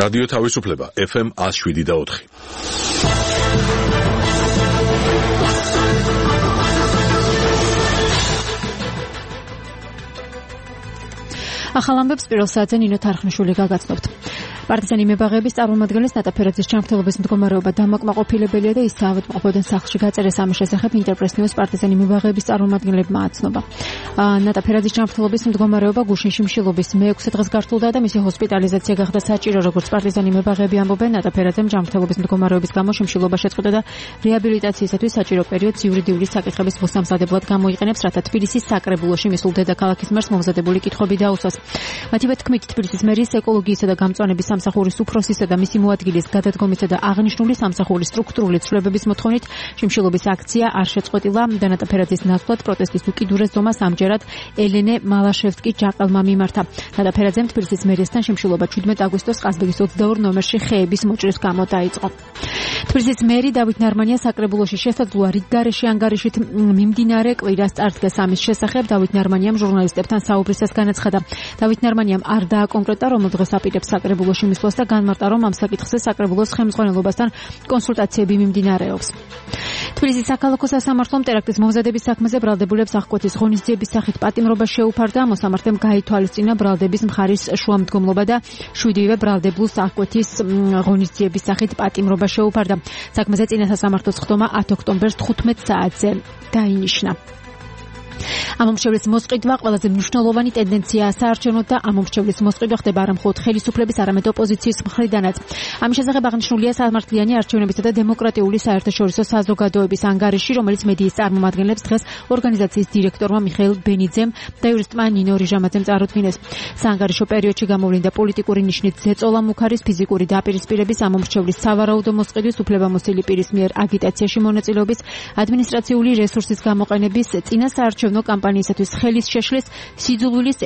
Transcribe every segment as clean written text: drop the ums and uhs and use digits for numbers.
რადიო თავისუფლება FM 107.4. ახალ ამბებს პირველ საათზე ნინო თარხნიშვილი გაგაცნობთ. პარტიზანი მებაღეების წარმომადგენლის ნატაფერაძის ჯანმრთელობის მდგომარეობა დამაკმაყოფილებელია და ის საავადმყოფოდან სახლში გაწერეს ამის შესახებ ინტერპრეს ნიუს პარტიზანი მებაღეების წარმომადგენლებმა აცნობა. ნატაფერაძის ჯანმრთელობის მდგომარეობა გუშინ შიმშილობის მე-6 დღეს გართულდა და მისი ჰოსპიტალიზაცია გახდა საჭირო, როგორც პარტიზანი მებაღეები ამბობენ. ნატაფერაძემ ჯანმრთელობის მდგომარეობის გამო შიმშილობა შეწყვეტა და რეაბილიტაციისათვის საჭირო პერიოდს იურიდიული საკითხების მოსამზადებლად გამოიყენებს, რათა თბილისის საკრებულოში მისულ დედაქალაქის მერს მომზადებული კითხვები დაუსვას. მათივე თქმით, თბილისის მერის ეკოლოგიისა და გამწვანების სამსახურის უფროსისა და მისი მოადგილის გადადგომისა და აღნიშნული სამსახურის სტრუქტურული ცვლილებების მოთხოვნით შიმშილობის აქცია არ შეწყვეტილა და ნატაფერაძის ნაცვლად პროტესტის უკიდურეს ზომას ამჯერად ელენე მალაშევსკი-ჯაყელმა მიმართა. ნატაფერაძემ თბილისის მერიასთან შიმშილობა 17 აგვისტოს ყაზბეგის 22 ნომერში ხეების მოჭრის გამო დაიწყო. თბილისის მერი დავით ნარმანია საკრებულოში შესაძლოა რიგგარეშე ანგარიშით მიმდინარე კვირას წარდგეს ამის შესახებ. დავით ნარმანიამ ჟურნალისტებთან საუბრისას განაცხადა. დავით ნარმანიამ არ დააკონკრეტა რომელ დღეს აპირებს საკრებულოში მისვლას და განმარტა, რომ ამ საკითხზე საკრებულოს ხელმძღვანელობასთან კონსულტაციები მიმდინარეობს. თბილისის საქალაქო სასამართლომ ტერაქტის მომზადების საქმეზე ბრალდებულებს აღკვეთის ღონისძიების სახით პატიმრობა შეუფარდა. მოსამართლემ გაითვალისწინა ბრალდების მხარის შუამდგომლობა და შვიდივე ბრალდებულს აღკვეთის ღონისძიების სახით პატიმრობა შეუფარდა. საქმეზე წინა სასამართლოს ხდომა 10 ოქტომბერს 15 საათზე დაინიშნა. ამომრჩევლის მოსყიდვა ყველაზე მნიშვნელოვანი ტენდენციაა საარჩევნოდ და ამომრჩევლის მოსყიდვა ხდება არა მხოლოდ ხელისუფლების, არამედ ოპოზიციის მხრიდანაც. ამის შესახებ აღნიშნულია სამართლიანი არჩევნებისა და დემოკრატიული საერთაშორისო საზოგადოების ანგარიში, რომელიც მედიის წარმომადგენლებს დღეს ორგანიზაციის დირექტორმა მიხეილ ბენიძემ და იურისტმა ნინო რიჟამაძემ წარუდგინეს. საანგარიშო პერიოდში გამოვლინდა პოლიტიკური ნიშნით ზეწოლა მუქარის, ფიზიკური დაპირისპირების, ამომრჩევლის სავარაუდო მოსყიდვის, უფლებამოსილი პირის მიერ აგიტაციაში მონაწილეობის, ადმინისტრაციული რესურსის გამოყენების, წინა საარჩევნო კამპანიისათვის ხელის შეშლის, სიძულვილის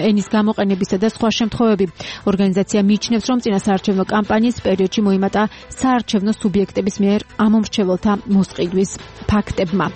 ენის გამოყენებისა და სხვა შემთხვევები. ორგანიზაცია მიიჩნევს, რომ წინა საარჩევნო კამპანიის პერიოდში მოიმატა საარჩევნო სუბიექტების მიერ ამომრჩეველთა მოსყიდვის ფაქტებმა.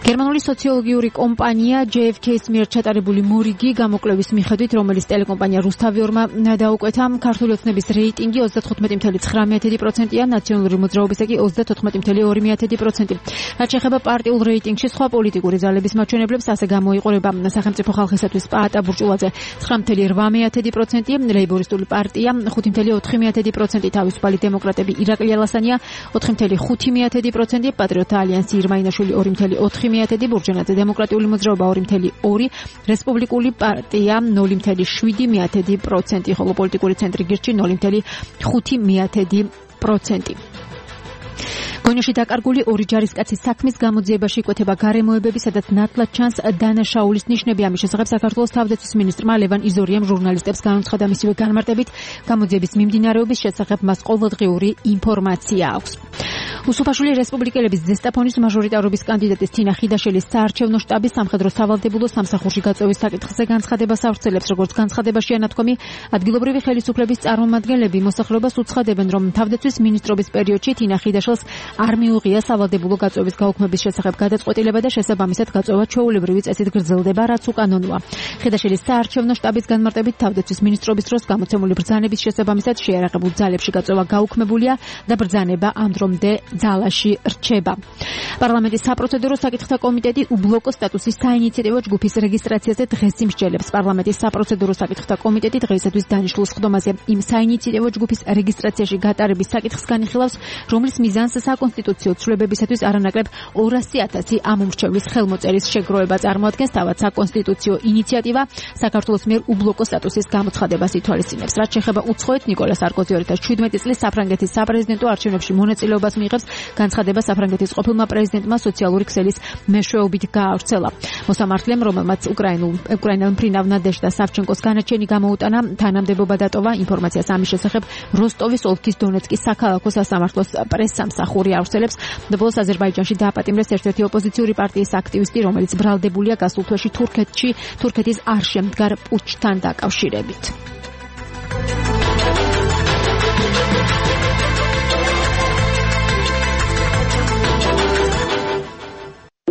გერმანული სოციოლოგიური კომპანია JFK-ის მიერ ჩატარებული მორიგი გამოკვლევის მიხედვით, რომელიც ტელეკომპანია რუსთავიორმა დაუკვეთა, ქართული ოცნების რეიტინგი 35.9%-ია, ნაციონალური მოძრაობისა კი 34.2%. რაც შეეხება პარტიულ რეიტინგში სხვა პოლიტიკური ძალების მაჩვენებლებს, ასე გამოიყურება სახელმწიფო ხალხისათვის პაატა ბურჭულაძე 9.8%, ლეიბორისტული პარტია 5.4%, თავისუფალი დემოკრატები ირაკლი ალასანია 4.5%, პატრიოტთა ალიანსი ირმაინაშვილი 2.4%, ბურჯენაძე დემოკრატიული მოძრაობა 2.2%, რესპუბლიკური პარტია 0.7%, ხოლო პოლიტიკური ცენტრი გირჩი 0.5%. გონიოში დაკარგული ორი ჯარისკაცის საქმის გამოძიებაში იკვეთება გარემოებები, სადაც ნათლად ჩანს დანაშაულის ნიშნები. ამის შესახებ საქართველოს თავდაცვის მინისტრმა ლევან იზორიამ ჟურნალისტებს განუცხადა. მისივე განმარტებით, გამოძიების მიმდინარეობის შესახებ მას ყოველდღიური ინფორმაცია აქვს. უსუფაშვილი რესპუბლიკელების ზესტაფონის მაჟორიტარობის კანდიდატის თინა ხიდაშელის საარჩევნო შტაბის სამხედრო სავალდებულო სამსახურში გაწევის საკითხზე განცხადებას ავრცელებს. როგორც განცხადებაშია ნათქვამი, ადგილობრივი ხელისუფლების წარმომადგენლები მოსახლეობას უცხადებენ, რომ თავდაცვის მინისტრობის პერიოდში თინა ხიდაშელს არ მიუღია სავალდებულო გაწევის გაუქმების შესახებ გადაწყვეტილება და შესაბამისად გაწევა ჩვეულებრივი წესით გრძელდება, რაც უკანონოა. ხიდაშელის საარჩევნო შტაბის განმარტებით, თავდაცვის მინისტრობის დროს გამოცემული ბრძანების შესაბამისად შეიარაღებულ ძალებში გაწევა გაუქმებულია და ბრძანება ამ დრომდე ძალაში რჩება. პარლამენტის საპროცედურო საკითხთა კომიტეტი უბლოკო სტატუსის საინიციატივო ჯგუფის რეგისტრაციაზე დღეს იმსჯელებს. პარლამენტის საპროცედურო საკითხთა კომიტეტი დღეისათვის დანიშნულს ხდომაზე იმ საინიციატივო ჯგუფის რეგისტრაციაში გატარების საკითხს განიხილავს, რომლის მიზანს საკონსტიტუციო ცვლილებებისათვის არანაკლებ 200,000 ამომრჩევლის ხელმოწერის შეგროვება წარმოადგენს. თავად საკონსტიტუციო ინიციატივა საქართველოს მიერ უბლოკო სტატუსის გამოცხადებას ითვალისწინებს. რაც შეეხება უცხოეთ, ნიკოლა სარკოზი 2017 წლის საფრანგეთის საპრეზიდენტო არჩევნებში მონაწილეობას მიიღებს. განცხადება საფრანგეთის ყოფილმა პრეზიდენტმა სოციალური ქსელის მეშვეობით გაავრცელა. მოსამართლემ, რომელმაც უკრაინელ მფრინავ ნადეჟდა სავჩენკოს განაჩენი გამოუტანა, თანამდებობა დატოვა. ინფორმაციას ამის შესახებ როსტოვის ოლქის დონეცკის საქალაქო სასამართლოს პრესსამსახური ავრცელებს. ბოლოს აზერბაიჯანში დააპატიმრეს ერთ-ერთი ოპოზიციური პარტიის აქტივისტი, რომელიც ბრალდებულია გასულ თვეში თურქეთის არ შემდგარ პუტჩთან დაკავშირებით.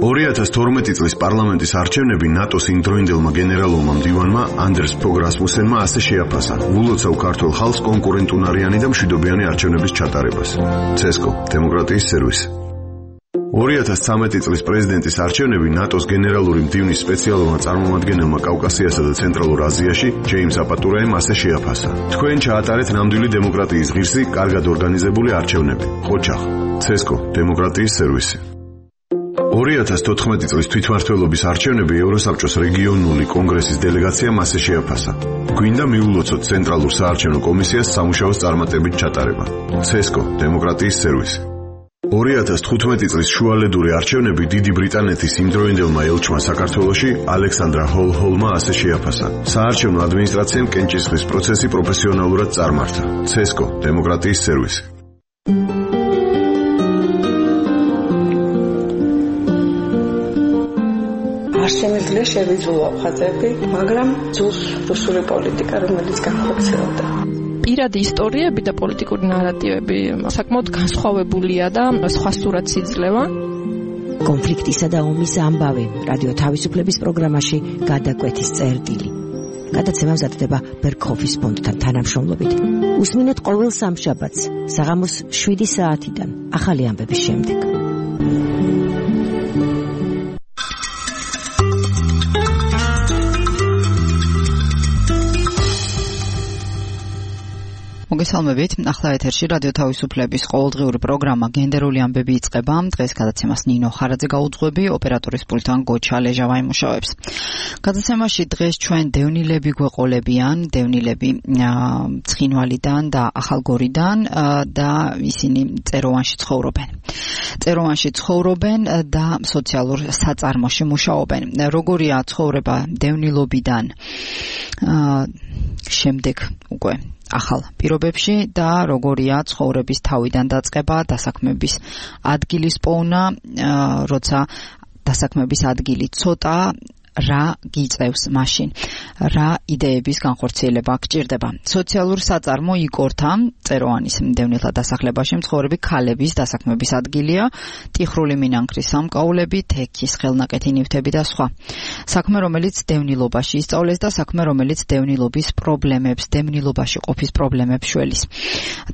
2012 წლის პარლამენტის არჩევნები ნატოს იმდროინდელმა გენერალურმა მდივანმა ანდერს ფოგ რასმუსენმა ასე შეაფასა ულოცავ ქართულ ხალხს კონკურენტუნარიანი და მშვიდობიანი არჩევნების ჩატარებას. ცესკო, დემოკრატიის სერვისი. 2013 წლის პრეზიდენტის არჩევნები ნატოს გენერალური მდივნის სპეციალურმა წარმომადგენელმა კავკასიასა და ცენტრალურ აზიაში ჯეიმს აპატურაემ ასე შეაფასა. თქვენ ჩაატარეთ ნამდვილი დემოკრატიის ღირსი, კარგად ორგანიზებული არჩევნები. ხოჩახ, ცესკო, დემოკრატიის სერვისი. 2014 წლის თვითმმართველობის არჩევნები ევროსაბჭოს რეგიონული კონგრესის დელეგაციამ ასე შეაფასა. გვინდა მიულოცოთ ცენტრალურ საარჩევნო კომისიას სამუშაოს წარმატებით ჩატარება. ცესკო, დემოკრატიის სერვისი. 2015 წლის შუალედური არჩევნები დიდი ბრიტანეთის იმდროინდელმა ელჩმა საქართველოში ალექსანდრა ჰოლჰოლმა ასე შეაფასა. საარჩევნო ადმინისტრაციამ კენჭისყრის პროცესი პროფესიონალურად წარმართა. ცესკო, დემოკრატიის სერვისი. არ შემიძლია შევიძულო ხაზები, მაგრამ ძულს რუსული პოლიტიკა, რომელიც განხორციელდა. პირადი ისტორიები და პოლიტიკური ნარატივები საკმაოდ განსხვავებულია და სხვა სურათს იძლევა. კონფლიქტისა და ომის ამბავი რადიო თავისუფლების პროგრამაში გადაკვეთის წერტილი. გადაცემა მზადდება ბერქოფის ფონდთან თანამშრომლობით. უსმინეთ ყოველ სამშაბათს საღამოს 7 საათიდან ახალი ამბების შემდეგ. მოგესალმებით. ახლა ეთერში რადიო თავისუფლების ყოველდღიური პროგრამა გენდერული ამბები იწყება. დღეს გადაცემას ნინო ხარაძე გაუძღვები, ოპერატორის პულტთან გოჩა ლეჟავა იმუშავებს. გადაცემაში დღეს ჩვენ დევნილები გვეყოლებიან, დევნილები ცხინვალიდან და ახალგორიდან და ისინი წეროვანში ცხოვრობენ. წეროვანში ცხოვრობენ და სოციალურ საწარმოში მუშაობენ. როგორია ცხოვრება დევნილობიდან შემდეგ უკვე ახალ პირობებში და როგორია ცხოვრების თავიდან დაწყება, დასაქმების ადგილის პოვნა, როცა დასაქმების ადგილი ცოტა, რა გიწევს მაშინ, რა იდეების განხორციელება გჭირდება. სოციალურ საწარმო იკორთა წეროვანის დევნილთა დასახლებაში მცხოვრები ქალების დასაქმების ადგილია, ტიხრული მინანქრის სამკაულები, თექის ხელნაკეთი ნივთები და სხვა. საქმე, რომელიც დევნილობაში ისწავლეს და საქმე, რომელიც დევნილობის პრობლემებს, დევნილობაში ყოფის პრობლემებს შველის.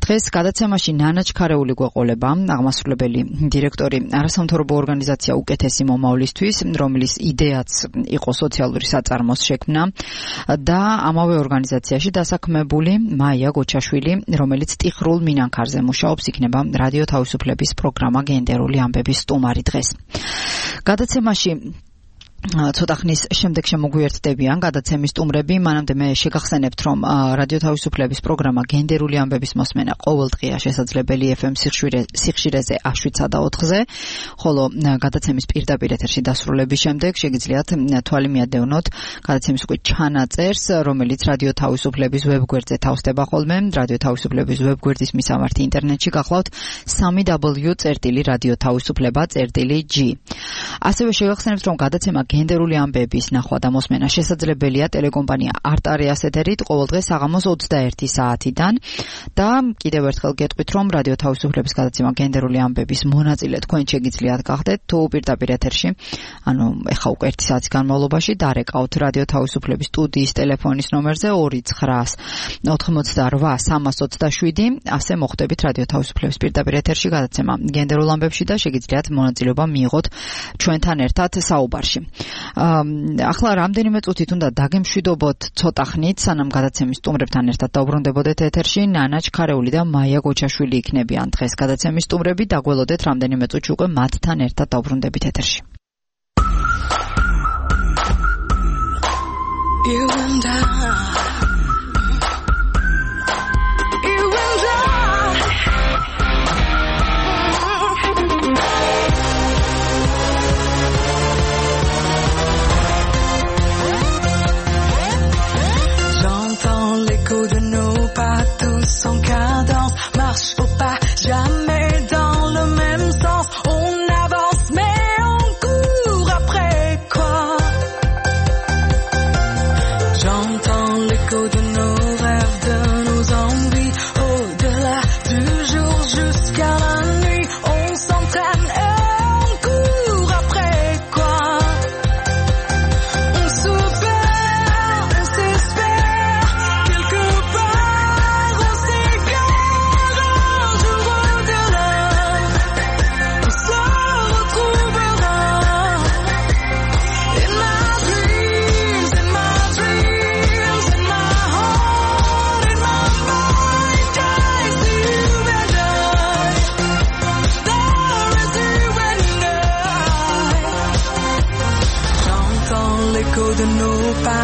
დღეს გადაცემაში ნანა ჩქარეული გვეყოლება, აღმასრულებელი დირექტორი არასამთავრობო ორგანიზაცია უკეთესი მომავლისთვის, რომლის იდეაც იყო სოციალური საწარმოს შექმნა და ამავე ორგანიზაციაში დასაქმებული მაია გოჩაშვილი, რომელიც ტიხრულ მინანქარზე მუშაობს, იქნება რადიო თავისუფლების პროგრამა გენდერული ამბების სტუმარი დღეს. გადაცემაში ცოტა ხნის შემდეგ შემოგვიერთდებიან გადაცემის სტუმრები. მანამდე მე შეგახსენებთ, რომ რადიო თავისუფლების პროგრამა გენდერული ამბების მოსმენა ყოველდღია შესაძლებელი FM სიხშირეზე 7-სა და 4-ზე, ხოლო გადაცემის პირდაპირ ეთერში დასრულების შემდეგ შეგიძლიათ თვალი მიადევნოთ გადაცემის უკვე ჩანაწერს, რომელიც რადიო თავისუფლების ვებგვერდზე თავსდება ხოლმე. რადიო თავისუფლების ვებგვერდის მისამართი ინტერნეტში გახლავთ www.radiotavisufleba.g. ასევე შეგახსენებთ, რომ გადაცემა გენდერული ამბების ნახვა და მოსმენა შესაძლებელია ტელეკომპანია არტარიას ეთერით ყოველდღე საღამოს 21 საათიდან და კიდევ ერთხელ გეტყვით, რომ რადიო თავისუფლების გადაცემა გენდერული ამბების მონაწილე თქვენ შეგიძლიათ გახდეთ თუ პირდაპირ ეთერში, ანუ ეხა უკვე 1 საათის განმავლობაში დარეკავთ რადიო თავისუფლების სტუდიის ტელეფონის ნომერზე 298-327, ასე მოხვდებით რადიო თავისუფლების პირდაპირ ეთერში გადაცემა გენდერულ ამბებში და შეგიძლიათ მონაწილეობა მიიღოთ ჩვენთან ერთად საუბარში. ახლა რამდენიმე წუთით უნდა დაგემშვიდობოთ ცოტა ხნით, სანამ გადაცემის სტუმრებთან ერთად დაუბრუნდებოდეთ ეთერში. ნანა ჩქარეული და მაია გოჩაშვილი იქნებიან დღეს გადაცემის სტუმრები. დაგველოდეთ რამდენიმე წუთში უკვე მათთან ერთად დაუბრუნდებით ეთერში. De nos pas tous en cadence, marche au pas, jamais dans le même sens. On avance mais on court après quoi? J'entends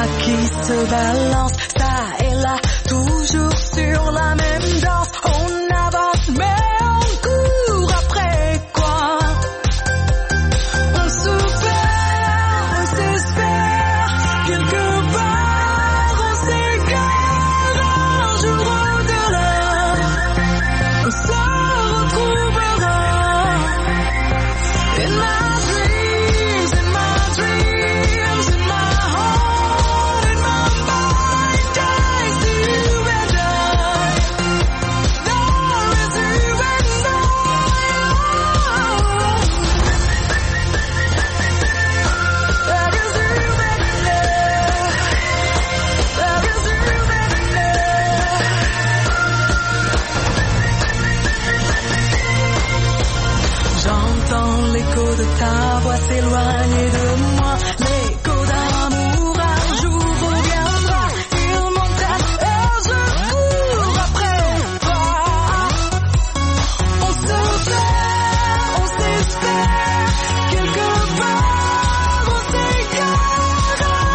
bras qui se balancent, ça et là, toujours sur la même danse. On avance mais on court après quoi? On se perd, on s'espère, quelque part on s'égare, un jour au-delà, on se retrouvera. In my dreams, in my dreams, in my heart, in my mind, I see you and I. There is you and I. There is you and I. There is you and I. J'entends l'écho de ta voix s'éloigner de moi, l'écho d'un amour un jour reviendra. Il m'entraîne et je cours après toi. On se perd, on s'espère, quelque part on s'égare,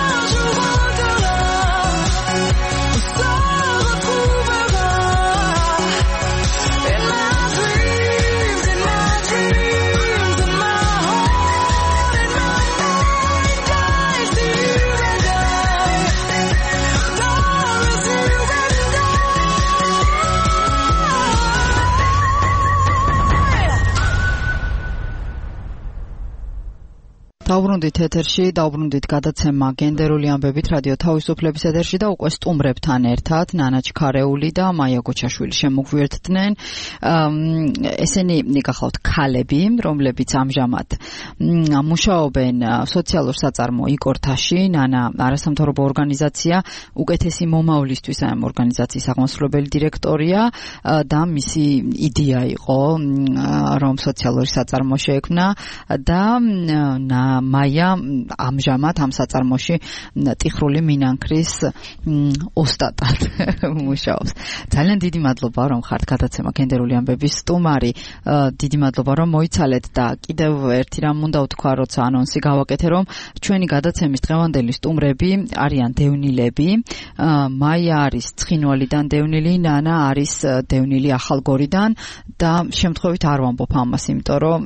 un jour au-delà, on se retrouvera. In my dreams, in my dreams, in my heart, in my mind, I see you and I. There is you and I. დაუბრუნდით ეთერში, დაუბრუნდით გადაცემა გენდერული ამბებით რადიო თავისუფლების ეთერში და უკვე სტუმრებთან ერთად ნანა ჩქარეული და მაია გოჩაშვილი შემოგვიერთდნენ. ესენი გახლავთ ქალები, რომლებიც ამჟამად მუშაობენ სოციალურ საწარმო იკორთაში. ნანა არასამთავრობო ორგანიზაცია უკეთესი მომავლისთვის ამ ორგანიზაციის აღმასრულებელი დირექტორია და მისი იდეა იყო რომ სოციალური საწარმო შეექმნა და მაია ამჟამად ამ საწარმოში ტიხრული მინანქრის ოსტატად მუშაობს. ძალიან დიდი მადლობა რომ ხართ გადაცემა გენდერული ამბების სტუმარი. დიდი მადლობა რომ მოიცალეთ და კიდევ ერთი რამ უნდა ვთქვა, როცა ანონსი გავაკეთე, რომ ჩვენი გადაცემის დღევანდელი სტუმრები არიან დევნილები. მაია არის ცხინვალიდან დევნილი, ნანა არის დევნილი ახალგორიდან და შემთხვევით არ ვამბობ ამას, იმიტომ რომ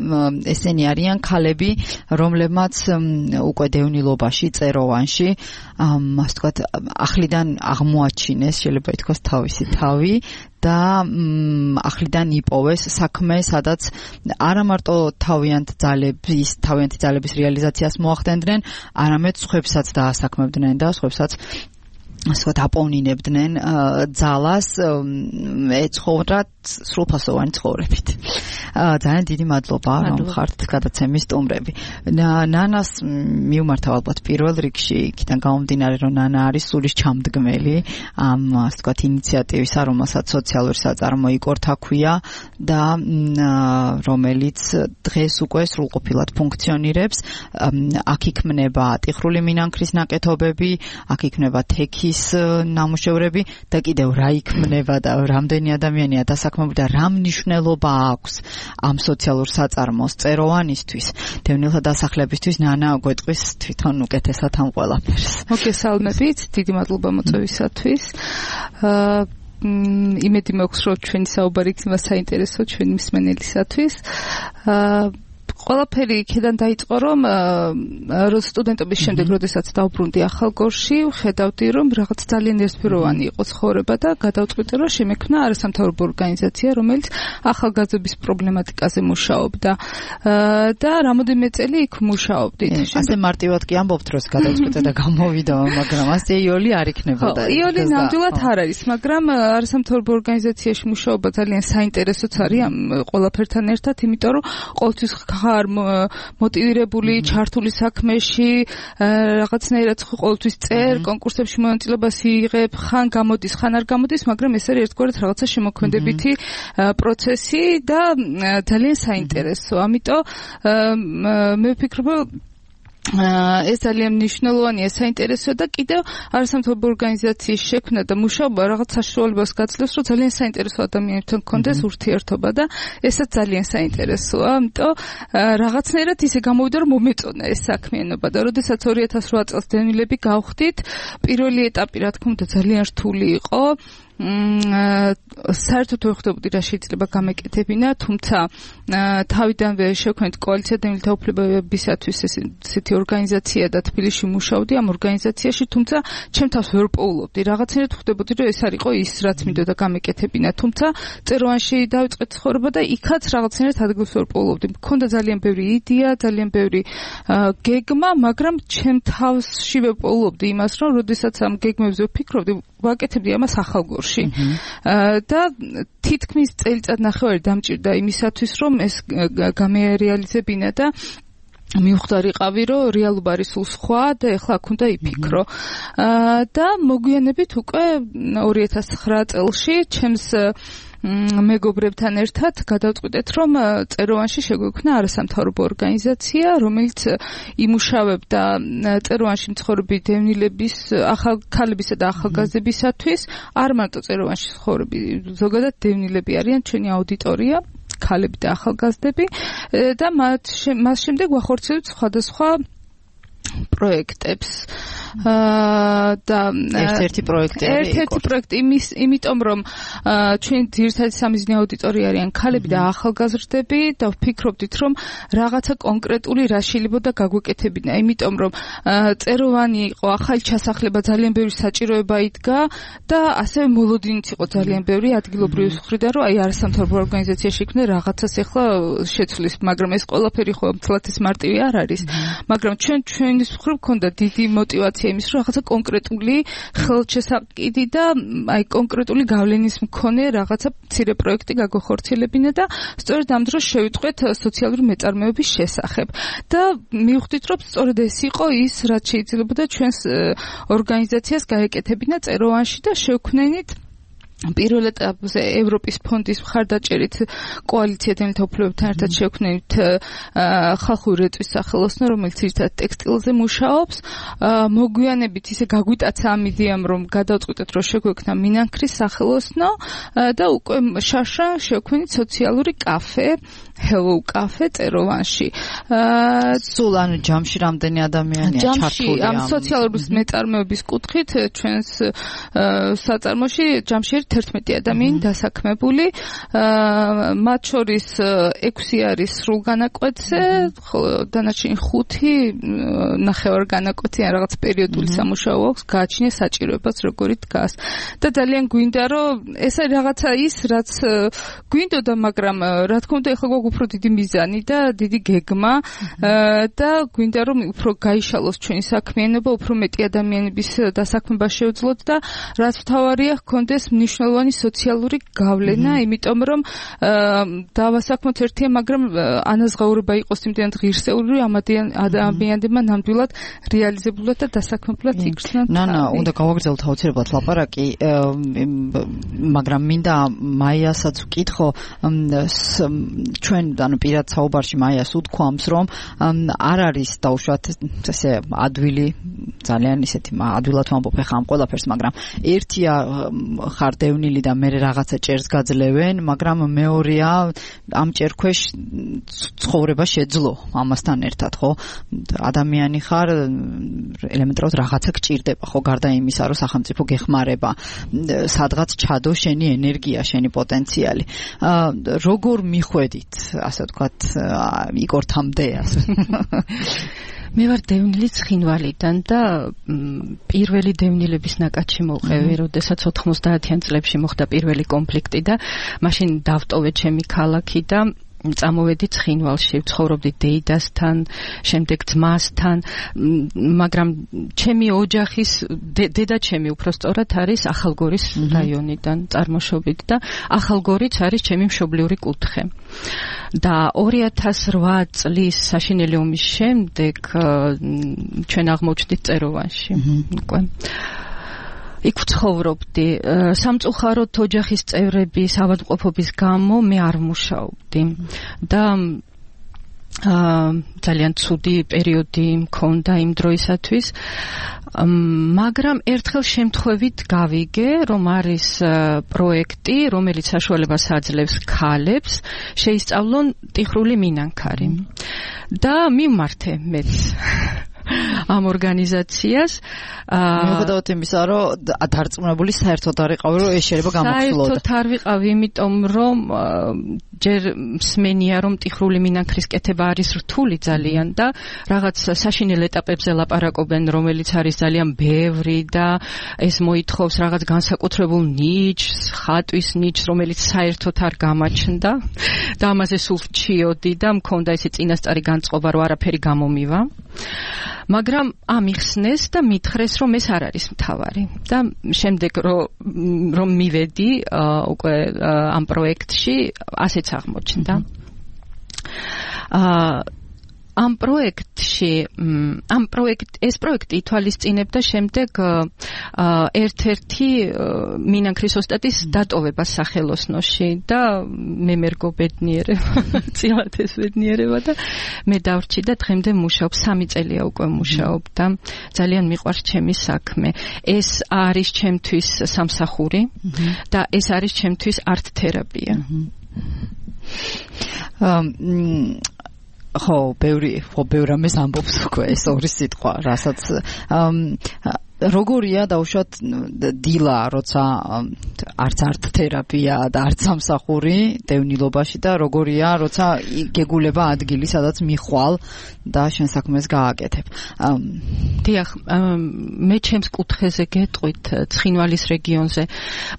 ესენი არიან ქალები, რომლებმაც უკვე დევნილობაში, წეროვანში, ასე ვთქვათ, ახლიდან აღმოაჩინეს, შეიძლება ითქვას, თავისი თავი და ახლიდან იპოვეს საქმე, სადაც არა მარტო თავიანთი ძალების რეალიზაციას მოახდენდნენ, არამედ სხვებსაც დაასაქმებდნენ და სხვებსაც ასე აპოვნინებდნენ ძალას ეცხოვრათ სრულფასოვანი ცხოვრებით. ძალიან დიდი მადლობა რომ ხართ გადაცემის სტუმრები. ნანას მივმართავ ალბათ პირველ რიგში, იქიდან გამომდინარე რომ ნანა არის სულის ჩამდგმელი ამ ასე ვთქვათ ინიციატივისა, რომელსაც სოციალური საწარმო იკორთა ქვია და რომელიც დღეს უკვე სრულყოფილად ფუნქციონირებს. აქ იქმნება ტიხრული მინანქრის ნაკეთობები, აქ იქმნება თექის ნამუშევრები და კიდევ რა იქმნება და რამდენი ადამიანია დასაქმებული და რა მნიშვნელობა აქვს ამ სოციალურ საწარმოს წეროვანისთვის, დევნილთა დასახლებისთვის. ნანა გვეტყვის თვითონ უკეთესად ამ ყველაფერს. მოგესალმებით, დიდი მადლობა მოწვევისათვის. იმედი მაქვს, რომ ჩვენი საუბარი იქნება საინტერესო ჩვენი მსმენელისათვის. ყველაფერი იქიდან დაიწყო, რომ სტუდენტობის შემდეგ, როდესაც დავბრუნდი ახალგორში, ვხედავდი, რომ რაღაც ძალიან ერთფეროვანი იყო ცხოვრება და გადავწყვიტე, რომ შემექმნა არასამთავრობო ორგანიზაცია, რომელიც ახალგაზრდობის პრობლემატიკაზე მუშაობდა და რამოდენიმე წელი იქ მუშაობდით. ასე მარტივად კი ამბობთ, რომ გადავწყვიტე და გამოვიდა, მაგრამ ასე იოლი არ იქნებოდა. იოლი ნამდვილად არ არის, მაგრამ არასამთავრობო ორგანიზაციაში მუშაობა ძალიან საინტერესოც არის ამ ყველაფერთან ერთად, იმიტომ რომ ყოველთვის ხარ მოტივირებული, ჩართული საქმეში, რაღაცნაირად ყოველთვის წერ, კონკურსებში მონაწილეობას იღებ, ხან გამოდის, ხან არ გამოდის, მაგრამ ეს არის ერთგვარად რაღაცა შემოქმედებითი პროცესი და ძალიან საინტერესო. ამიტომ მე ვფიქრობ, ეს ძალიან მნიშვნელოვანია, საინტერესოა და კიდევ არასამთავრობო ორგანიზაციის შექმნა და მუშაობა რაღაც საშუალებას გაძლევს, რომ ძალიან საინტერესო ადამიანებთან გქონდეს ურთიერთობა და ესაც ძალიან საინტერესოა, ამიტომ რაღაცნაირად ისე გამოვიდა, რომ მომეწონა ეს საქმიანობა და როდესაც 2008 წელს დევნილები გავხდით, პირველი ეტაპი რა თქმა უნდა ძალიან რთული იყო. საერთოდ ვერ ხვდებოდი რა შეიძლება გამეკეთებინა, თუმცა თავიდანვე შევქმნით კოალიცია დევნილთა უფლებებისათვის ესეთი ორგანიზაცია და თბილისში მუშაობდი ამ ორგანიზაციაში, თუმცა ჩემ თავს ვერ პოულობდი, რაღაცნაირად ხვდებოდი რომ ეს არისო ის რაც მინდოდა გამეკეთებინა, თუმცა წეროვანში დავიწყეთ ცხოვრება და იქაც რაღაცნაირად ადგილს ვერ პოულობდი. მქონდა ძალიან ბევრი იდეა, ძალიან ბევრი გეგმა, მაგრამ ჩემ თავშივე პოულობდი იმას, რომ როდესაც ამ გეგმებზე ვფიქრობდი, ვაკეთებდი ამას ახალგორში. და თითქმის წელიწად-ნახევარი დამჭირდა იმისათვის, რომ ეს გამეარეალიზებინა და მივხვდარიყავი, რომ რეალობა არის სულ სხვა და ეხლა აქ უნდა იფიქრო. და მოგვიანებით უკვე 2009 წელში ჩემს მეგობრებთან ერთად გადავწყვიტეთ, რომ წეროვანში შეგვექმნა არასამთავრობო ორგანიზაცია, რომელიც იმუშავებდა წეროვანში მცხოვრები დევნილების, ახალქალებისა და ახალგაზრდებისათვის, არ მარტო წეროვანში მცხოვრები, ზოგადად დევნილები არიან ჩვენი აუდიტორია, ქალები და ახალგაზრდები და მას შემდეგ ვახორციელებთ სხვადასხვა პროექტებს და ერთ-ერთი პროექტი იმიტომ რომ ჩვენ ძირითადი სამიზნე აუდიტორია არიან ქალები და ახალგაზრდები და ვფიქრობდით რომ რაღაცა კონკრეტული რა შეიძლება გაგვეკეთებინა, იმიტომ რომ წეროვანი იყო, ახალი ჩასახლება, ძალიან ბევრი საჭიროება იდგა და ასევე მოლოდინიც იყო ძალიან ბევრი ადგილობრივი მხრიდან, რომ აი არასამთავრობო ორგანიზაცია შექმნა რაღაცას ეხლა შეცვლის, მაგრამ ეს ყველაფერი ხო მთლად ის მარტივი არ არის, მაგრამ ჩვენი მხრივ ქონდა დიდი мотиваცია იმის, რომ რაღაცა კონკრეტული ხელშესაყიდი და აი კონკრეტული გავლენის მქონე რაღაცა მცირე პროექტი გაგვახორციელებინა და სწორედ ამ დროს შევიტყვეთ სოციალური მეწარმეობის შესახებ. და მივხვდით, რომ სწორედ ეს იყო ის, რაც შეიძლებოდა ჩვენს ორგანიზაციას გაეკეთებინა წეროვანში და შევქმნით პირველ ეტაპზე ევროპის ფონდის მხარდაჭერით კოალიცია დევნილთა უფლებებთან ერთად შევქმნით ხალხური რეწვის სახელოსნო, რომელიც ერთად ტექსტილზე მუშაობს. მოგვიანებით ისე გაგვიტაცა ამ იდეამ, რომ გადავწყვიტეთ, რომ შეგვექმნა მინანქრის სახელოსნო და უკვე შაშა შევქმნით სოციალური კაფე, Hello Cafe წეროვანში. სულ ანუ ჯამში რამდენი ადამიანია ჩართული ამ სოციალური მეწარმეობის კუთხით ჩვენს საწარმოში ჯამში 11 ადამიანი დასაქმებული, მათ შორის 6 არის სრულ განაკვეთზე, დანარჩენი 5 ნახევარ განაკვეთი ან რაღაც პერიოდული სამუშაო აქვს, გააჩნია საჭიროებას როგორი დგას. და ძალიან გვინდა რომ ეს არის რაღაცა ის, რაც გვინდოდა, მაგრამ რა თქმა უნდა ეხლა გვაქვს უფრო დიდი მიზანი და დიდი გეგმა და გვინდა რომ უფრო გაიშალოს ჩვენი საქმიანობა, უფრო მეტი ადამიანების დასაქმება შევძლოთ და რაც მთავარია ჰქონდეს მნიშვნელოვანი სოციალური გავლენა, იმიტომ რომ დავასაქმოთ ერთია, მაგრამ ანაზღაურება იყოს იმდენად ღირსეული, ამ ადამიანებმა ნამდვილად რეალიზებულად და დასაქმებულად იქცნენ. უნდა გავაგრძელოთ აუცილებლად ლაპარაკი, მაგრამ მინდა მაიასაც ვკითხო, ჩვენ ანუ პირად საუბარში მაიას უთქვამს, რომ არ არის დაუშვათ ესე ადვილი, ძალიან ისეთი ადვილად ვამბობ ხა ამ ყველაფერს, მაგრამ ერთია ხარ დევნილი და მე რაღაცა ჭერს გაძლევენ, მაგრამ მეორეა ამ ჭერქვეშ ცხოვრება შეძლო ამასთან ერთად, ხო? ადამიანი ხარ, ელემენტარულად რაღაცა გჭირდება, ხო, გარდა იმისა, რომ სახელმწიფო გეხმარება, სადღაც ჩადო შენი ენერგია, შენი პოტენციალი. როგორ მიხვედით, ასე ვთქვათ, იგორთამდე ასე. მე ვარ დევნილი ცხინვალიდან და პირველი დევნილების ნაკადში მოვყევი, როდესაც 90-იან წლებში მოხდა პირველი კონფლიქტი და მაშინ დავტოვე ჩემი ქალაქი და წამოვედი ცხინვალში, ვცხოვრობდი დეიდასთან, შემდეგ ძმასთან, მაგრამ ჩემი ოჯახის დედა ჩემი უпростоრად არის ახალგორის რაიონიდან წარმოშობით და ახალგორიც არის ჩემი მშობლიური კუთხე. და 2008 წლის საშინელი ომის შემდეგ ჩვენ აღმოჩნდით წეროვანში. უკვე იქ ვცხოვრობდი. სამწუხაროდ ოჯახის წევრების ავადმყოფობის გამო მე არ ვმუშაობდი და ძალიან ცუდი პერიოდი მქონდა იმ დროისათვის, მაგრამ ერთხელ შემთხვევით გავიგე, რომ არის პროექტი, რომელიც საშუალებას აძლევს ქალებს შეისწავლონ ტიხრული მინანქარი და მიმართე მეც ამ ორგანიზაციას. მიუხედავად იმისა, რომ დარწმუნებული საერთოდ არ იყავი, რომ ეს შეიძლება გამოცდილოდა. საერთოდ არ ვიყავი, იმიტომ რომ ჯერ მსმენია, რომ ტიხრული მინანქრის კეთება არის რთული ძალიან და რაღაც საშინელ ეტაპებზე ლაპარაკობენ, რომელიც არის ძალიან ბევრი და ეს მოითხოვს რაღაც განსაკუთრებულ ნიჩს, ხატვის ნიჩს, რომელიც საერთოდ არ გამაჩნდა და ამაზე სულ ვჩიოდი და მქონდა ესე წინასწარი განწყობა, რომ არაფერი გამომივა. მაგრამ ამიხსნეს და მითხრეს, რომ ეს არ არის მთავარი. და შემდეგ რომ მივედი უკვე ამ პროექტში, ასეც აღმოჩნდა. ეს პროექტი ითვალისწინებდა შემდეგ ერთ-ერთი მინანქრის ოსტატის დატოვებას სახელოსნოში და მე მერგო ბედნიერება, წილად ეს ბედნიერება და მე დავრჩი და დღემდე მუშაობ, 3 წელია უკვე მუშაობ და ძალიან მიყვარს ჩემი საქმე. ეს არის ჩემთვის სამსახური და ეს არის ჩემთვის არტ თერაპია. ხო, ბევრი რამეს ამბობს უკვე ეს ორი სიტყვა, რასაც როგორია დაუშვათ დილა, როცა არც არტ თერაპია და არც სამსახური დევნილობაში და როგორია, როცა გეგულება ადგილი, სადაც მიხვალ და შენ საქმეს გააკეთებ. დიახ, მე ჩემს კუთხეზე გეტყვით ცხინვალის რეგიონზე.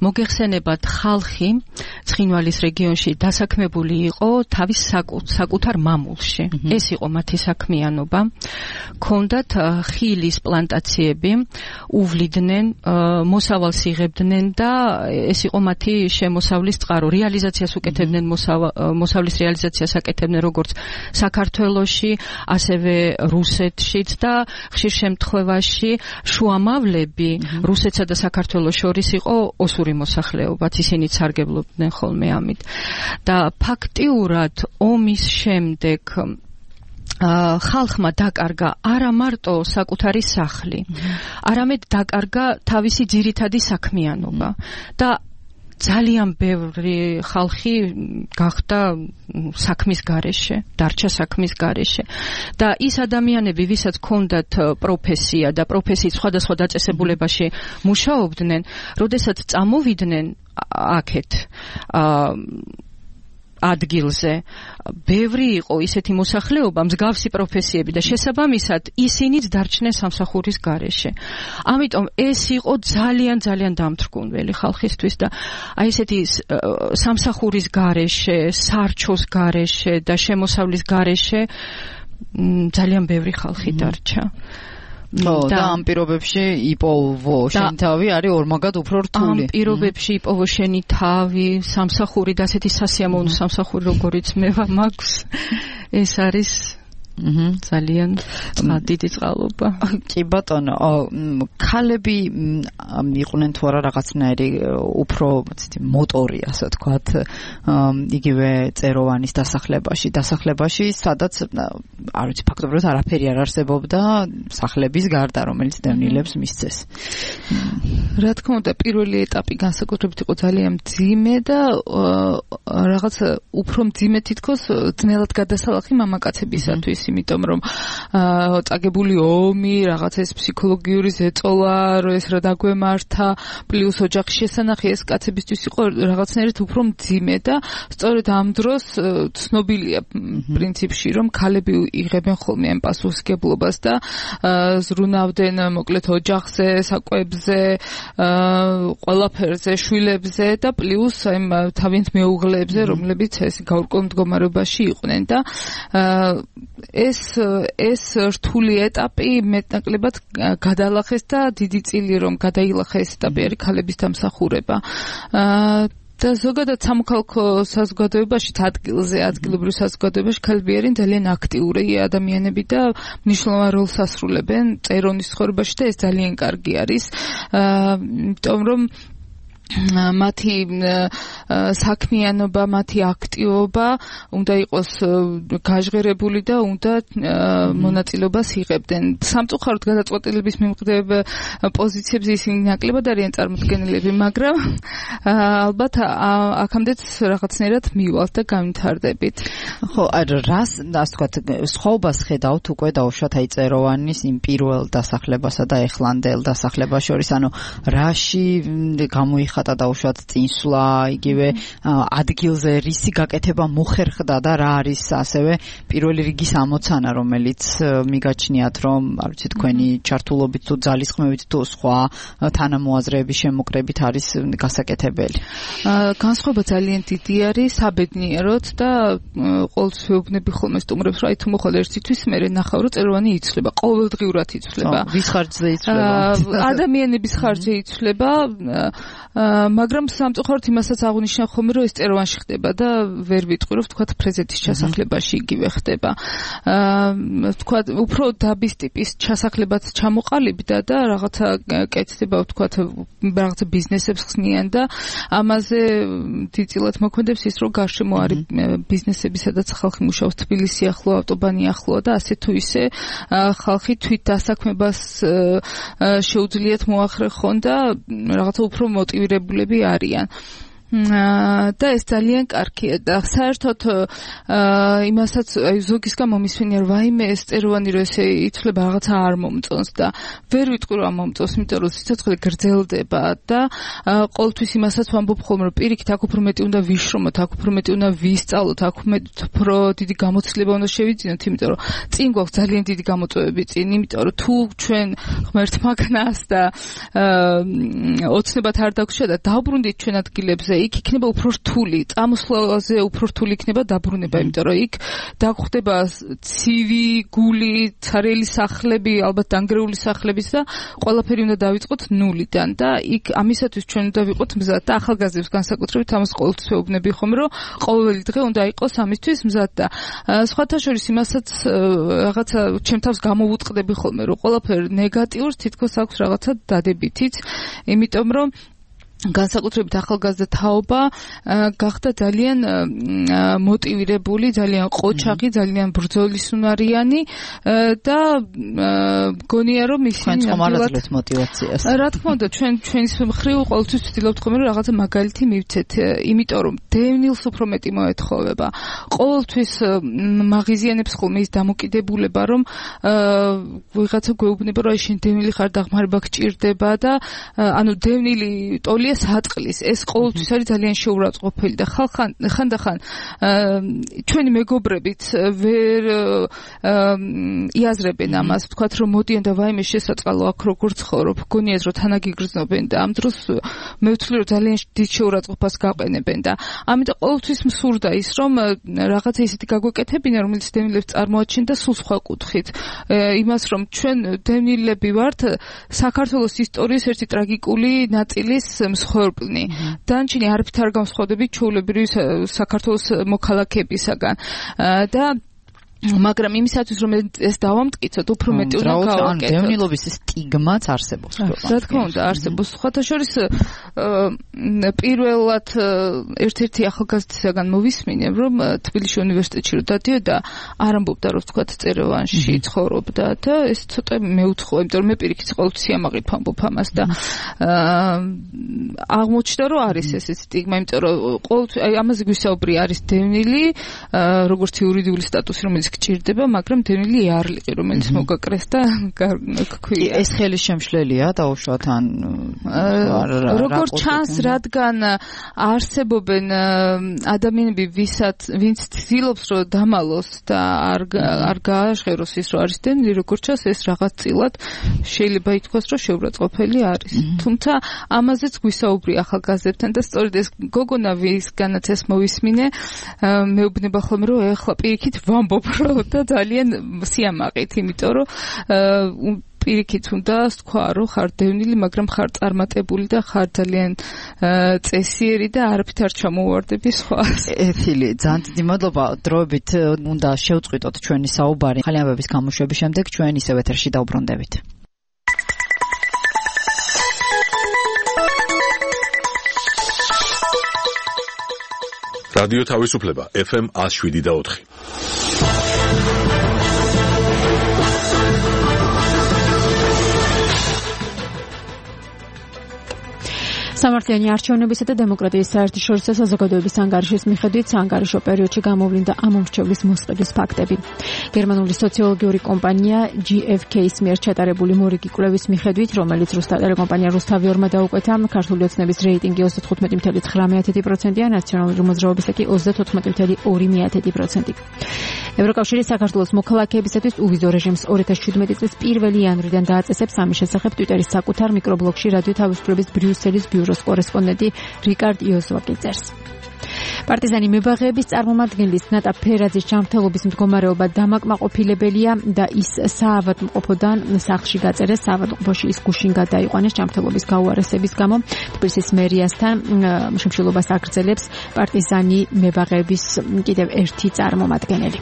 მოგეხსენებათ, ხალხი ცხინვალის რეგიონში დასაქმებული იყო თავის საკუთარ მამულში. ეს იყო მათი საქმიანობა. ქონდათ ხილის პლანტაციები, უვლიდნენ, მოსავალს იღებდნენ და ეს იყო მათი შემოსავლის წყარო. რეალიზაციას უკეთებდნენ, მოსავლის რეალიზაციას აკეთებდნენ როგორც საქართველოში, ასევე რუსეთშიც და ხშირ შემთხვევაში შუამავლები რუსეთსა და საქართველოს შორის იყო ოსური მოსახლეობაც, ისინიც სარგებლობდნენ ხოლმე ამით. და ფაქტიურად ომის შემდეგ ხალხმა დაკარგა არა მარტო საკუთარი სახლი, არამედ დაკარგა თავისი ძირითადი საქმიანობა და ძალიან ბევრი ხალხი გახდა საქმის გარეშე, დარჩა საქმის გარეშე და ის ადამიანები, ვისაც ჰქონდათ პროფესია და პროფესიის სხვადასხვა დაწესებულებაში მუშაობდნენ, როდესაც წამოვიდნენ აქეთ ადგილზე, ბევრი იყო ისეთი მოსახლეობა, მსგავსი პროფესიები და შესაბამისად ისინიც დარჩნენ სამსახურის გარეშე. ამიტომ ეს იყო ძალიან დამთრგუნველი ხალხისთვის და აი ესეთი სამსახურის გარეშე, სარჩოს გარეშე და შემოსავლის გარეშე ძალიან ბევრი ხალხი დარჩა. და ამ პირობებში იპოვო შენი თავი არის ორმაგად უფრო რთული. ამ პირობებში იპოვო შენი თავი, სამსახური და ასეთი სასიამოვნო სამსახური, როგორიც მე მაქვს, ეს არის ძალიან დიდი წყალობა. კი ბატონო, ქალები იყვნენ თუ არა რაღაცნაირი უფრო მოტორი, ასე ვთქვათ, იგივე წეროვანის დასახლებაში, სადაც არ ვიცი, ფაქტობრივად არაფერი არ არსებობდა სახლების გარდა, რომელიც დევნილებს მისცეს. რა თქმა უნდა, პირველი ეტაპი განსაკუთრებით იყო ძალიან მძიმე და რაღაც უფრო მძიმე თითქოს ძნელად გადასალახი მამაკაცებისათვის. იმიტომ რომ წაგებული ომი, რაღაც ეს ფსიქოლოგიური ზეწოლა, რომ ეს რა დაგვემართა, პლუს ოჯახის შესანახი, ეს კაცებისთვის იყო რაღაცნაირად უფრო მძიმე და სწორედ ამ დროს ცნობილია პრინციპში, რომ ქალები იღებენ ხოლმე ამ პასუხისგებლობას და ზრუნავდნენ მოკლედ ოჯახზე, საკვებზე, ყველაფერზე, შვილებზე და პლუს ამ თავიანთ მეუღლეებზე, რომლებიც ეს გაურკვეველ მდგომარეობაში იყვნენ და ეს რთული ეტაპი მეტნაკლებად გადალახეს და დიდი წილი რომ გადაილახა ეს ეტაპი არის ქალების დამსახურება. და ზოგადად სამოქალაქო საზოგადოებაში, ადგილობრივ საზოგადოებაში ქალები არიან ძალიან აქტიური ადამიანები და მნიშვნელოვან როლს ასრულებენ წეროვნის ცხოვრებაში და ეს ძალიან კარგი არის. იმიტომ რომ მათი საქმიანობა, მათი აქტივობა უნდა იყოს გაჟღერებული და უნდა მონაწილეობას იღებდნენ. სამწუხაროდ გადაწყვეტილების მიმღებ პოზიციებზე ისინი ნაკლებად არიან წარმოდგენილები, მაგრამ ალბათ აქამდეც რაღაცნაირად მივალთ და განვითარდებით. ხო, რას ასე ვთქვათ, სხვაობას ხედავთ უკვე დაუშვათ აი წეროვანის იმ პირველ დასახლებასა და ეხლანდელ დასახლებას შორის, ანუ რაში გამოიხატა დაუშვათ წინსვლა, იგივე ადგილზე რისი გაკეთება მოხერხდა და რა არის ასევე პირველი რიგის ამოცანა, რომელიც მიგაჩნიათ, რომ არ ვიცი თქვენი ჩართულობით თუ ძალისხმევით თუ სხვა თანამოაზრეების შემოკრებით არის გასაკეთებელი. განსხვავება ძალიან დიდი არის საბედნიეროდ და ყოველთვის ვეუბნები ხოლმე სტუმრებს, რომ აი თუ მოხვალ ერთი თვის მერე ნახავ, რომ წეროვანი იცვლება, ყოველდღიურად იცვლება. ვის ხარჯზე იცვლება? ადამიანების ხარჯზე იცვლება, მაგრამ სამწუხაროდ იმასაც აღნიშნა ხოლმე, რომ ეს წეროვანში ხდება და ვერ ვიტყვი, რომ ვთქვათ პრეზიდენტის ჩასახლებაში იგივე ხდება. ვთქვათ, უფრო დაბის ტიპის ჩასახლებაც ჩამოყალიბდა და რაღაცა კეთდება, ვთქვათ, რაღაცა ბიზნესებს ხსნიან და ამაზე დიდწილად მოქმედებს ის, რომ გარშემო არის ბიზნესები, სადაც ხალხი მუშაობს, თბილისი ახლოა, ავტობანი ახლოა და ასე თუ ისე ხალხი თვით დასაქმებას შეუძლიათ მოახერხონ და რაღაცა უფრო მოტივირებულები არიან. და ეს ძალიან კარგია და საერთოდ იმასაც ზოგისგან მომისმენია, რომ ვაიმე ეს წეროვანი რომ ესე იცვლება რაღაცა არ მომწონს და ვერ ვიტყვი რომ მომწონს, იმიტომ რომ სიცოცხლე გრძელდება და ყოველთვის იმასაც ვამბობ ხოლმე, რომ პირიქით აქ უფრო მეტი უნდა ვიშრომოთ, აქ უფრო მეტი უნდა ვისწავლოთ, აქ უფრო დიდი გამოცდილება უნდა შევიძინოთ, იმიტომ რომ წინ გვაქვს ძალიან დიდი გამოწვევები წინ, იმიტომ რომ თუ ჩვენ ღმერთ მაგნას და ოცნებად არ დაგვშა და დავბრუნდით ჩვენ ადგილებზე, იქ იქნება უფრო რთული, წამოსვლაზე უფრო რთული იქნება დაბრუნება, იმიტომ რომ იქ დაგხვდება ცივი, გული, ცარიელი სახლები, ალბათ დანგრეული სახლებიც და ყველაფერი უნდა დავიწყოთ ნულიდან და იქ ამისათვის ჩვენ უნდა ვიყოთ მზად და ახალგაზრდებს განსაკუთრებით ამას ყოველთვის ვეუბნები ხოლმე, რომ ყოველი დღე უნდა იყოს ამისთვის მზად და სხვათა შორის იმასაც რაღაცა ჩემ თავს გამოვუწყდები ხოლმე, რომ ყველაფერი ნეგატიურს თითქოს აქვს რაღაცა დადებითიც, იმიტომ რომ განსაკუთრებით ახალგაზრდა თაობა გახდა ძალიან მოტივირებული, ძალიან ყოჩაღი, ძალიან ბრძოლისუნარიანი და გონია რომ ისინი ნამდვილად მოტივაციას. რა თქმა უნდა, ჩვენის მხრივ ყოველთვის ვცდილობთ ხოლმე რომ რაღაცა მაგალითი მივცეთ, იმიტომ რომ დევნილს უფრო მეტი მოეთხოვება. ყოველთვის მაღიზიანებს ხოლმე ის დამოკიდებულება, რომ ვიღაცა გვეუბნება, რომ შენ დევნილი ხარ, დაღმარება გჭირდება და ანუ დევნილი ტოლი საწყლის ეს ყოველთვის არის ძალიან შეურაცხყოფელი და ხანდახან ჩვენი მეგობრებიც ვერ იაზრებენ ამას, ვთქვათ რომ მოდიან და ვაიმე შესაწყალო აქ როგორ ცხოვრობ, გონიათ რომ თანაგიგრძნობენ და ამ დროს მე ვთვლი რომ ძალიან დიდ შეურაცხყოფას გაყენებენ და ამიტომ ყოველთვის მსურდა ის რომ რაღაცა ისეთი გაგვეკეთებინა, რომელიც დევნილებს წარმოაჩენ და სულ სხვა კუთხით იმას რომ ჩვენ დევნილები ვართ საქართველოს ისტორიის ერთი ტრაგიკული ნაწილის მსხვერპლნი. დანარჩენი არაფრით არ განსხვავდებით ჩვეულებრივი საქართველოს მოქალაქეებისაგან და მაგრამ იმისათვის რომ ეს დავამტკიცოთ, უფრო მეტი უნდა გავაკეთოთ. დევნილობის სტიგმაც არსებობს. რა თქმა უნდა, არსებობს. სხვათა შორის პირველად ერთ-ერთი ახალგაზრდისაგან მოვისმინე, რომ თბილისის უნივერსიტეტში რომ დადიოდა, არ ამბობდა რომ ვთქვათ წეროვანში ცხოვრობდა და ეს ცოტა მეუთხო, იმიტომ რომ მე პირიქით ყოველთვის სიამაყით ვამბობ ამას და აღმოჩნდა რომ არის ეს სტიგმა, იმიტომ რომ ყოველთვის აი ამაზე გვისაუბრი არის დევნილი, როგორც იურიდიული სტატუსი, რომელიც გჭირდება, მაგრამ დევნილი იარლიყი, რომელიც მოგაკრეს და გქვია. ეს ხელის შემშლელია დაუშვათ ან როგორც ჩანს, რადგან არსებობენ ადამიანები, ვინც ცდილობს რომ დამალოს და არ გააჟღეროს ის, რომ არის დევნილი, როგორც ჩანს, ეს რაღაც წილად შეიძლება ითქვას, რომ შეურაცხყოფელი არის. თუმცა ამაზეც გვისაუბრი ახალგაზრდებთან და სწორედ ეს გოგონა ვისგანაც ეს მოვისმინე, მეუბნება ხოლმე, რომ ეხლა პირიქით ვამბობ და ძალიან სიამაყით, იმიტომ რომ პირიქით უნდა თქვა, რომ ხარ დევნილი, მაგრამ ხარ წარმატებული და ხარ ძალიან წესიერი და არაფრით არ ჩამოვარდები სხვას. ეთილი, ძალიან დიდი მადლობა. დროებით უნდა შევწყვიტოთ ჩვენი საუბარი. ხალიანების გამოშვების შემდეგ ჩვენ ისევ ეთერში დავბრუნდებით. რადიო თავისუფლება FM 107.4. სამართლიანი არჩევნებისა და დემოკრატიის საერთაშორისო საზოგადოების ანგარიშის მიხედვით საანგარიშო პერიოდში გამოვლინდა ამომრჩევლის მოსყიდვის ფაქტები. გერმანული სოციოლოგიური კომპანია GfK-ის მიერ ჩატარებული მორიგი კვლევის მიხედვით, რომელიც რუსტელეკომპანია რუსთავიორმა დაუკვეთა, ქართული ოცნების რეიტინგი 35.19%-ია, ნაციონალური მოძრაობისა კი 34.2%. ევროკავშირი საქართველოს მოქალაქეებისათვის უვიზო რეჟიმს 2017 წლის 1 იანვრიდან დააწესებს. ამის შესახებ ტვიტერის საკუთარ მიკრობლოგში რადიო თავისუფლების ბრიუსელის ბიუროს კორესპონდენტი რიკარდ იოზვაკი წერს. პარტიზანი მებაღეების წარმომადგენლის ნატა ფერაძის ჯანმრთელობის მდგომარეობა დამაკმაყოფილებელია და ის საავადმყოფოდან სახლში გაწერეს. საავადმყოფოში ის გუშინ გადაიყვანეს ჯანმრთელობის გაუარესების გამო. თბილისის მერიასთან შემშილობას აგრძელებს პარტიზანი მებაღეების კიდევ ერთი წარმომადგენელი.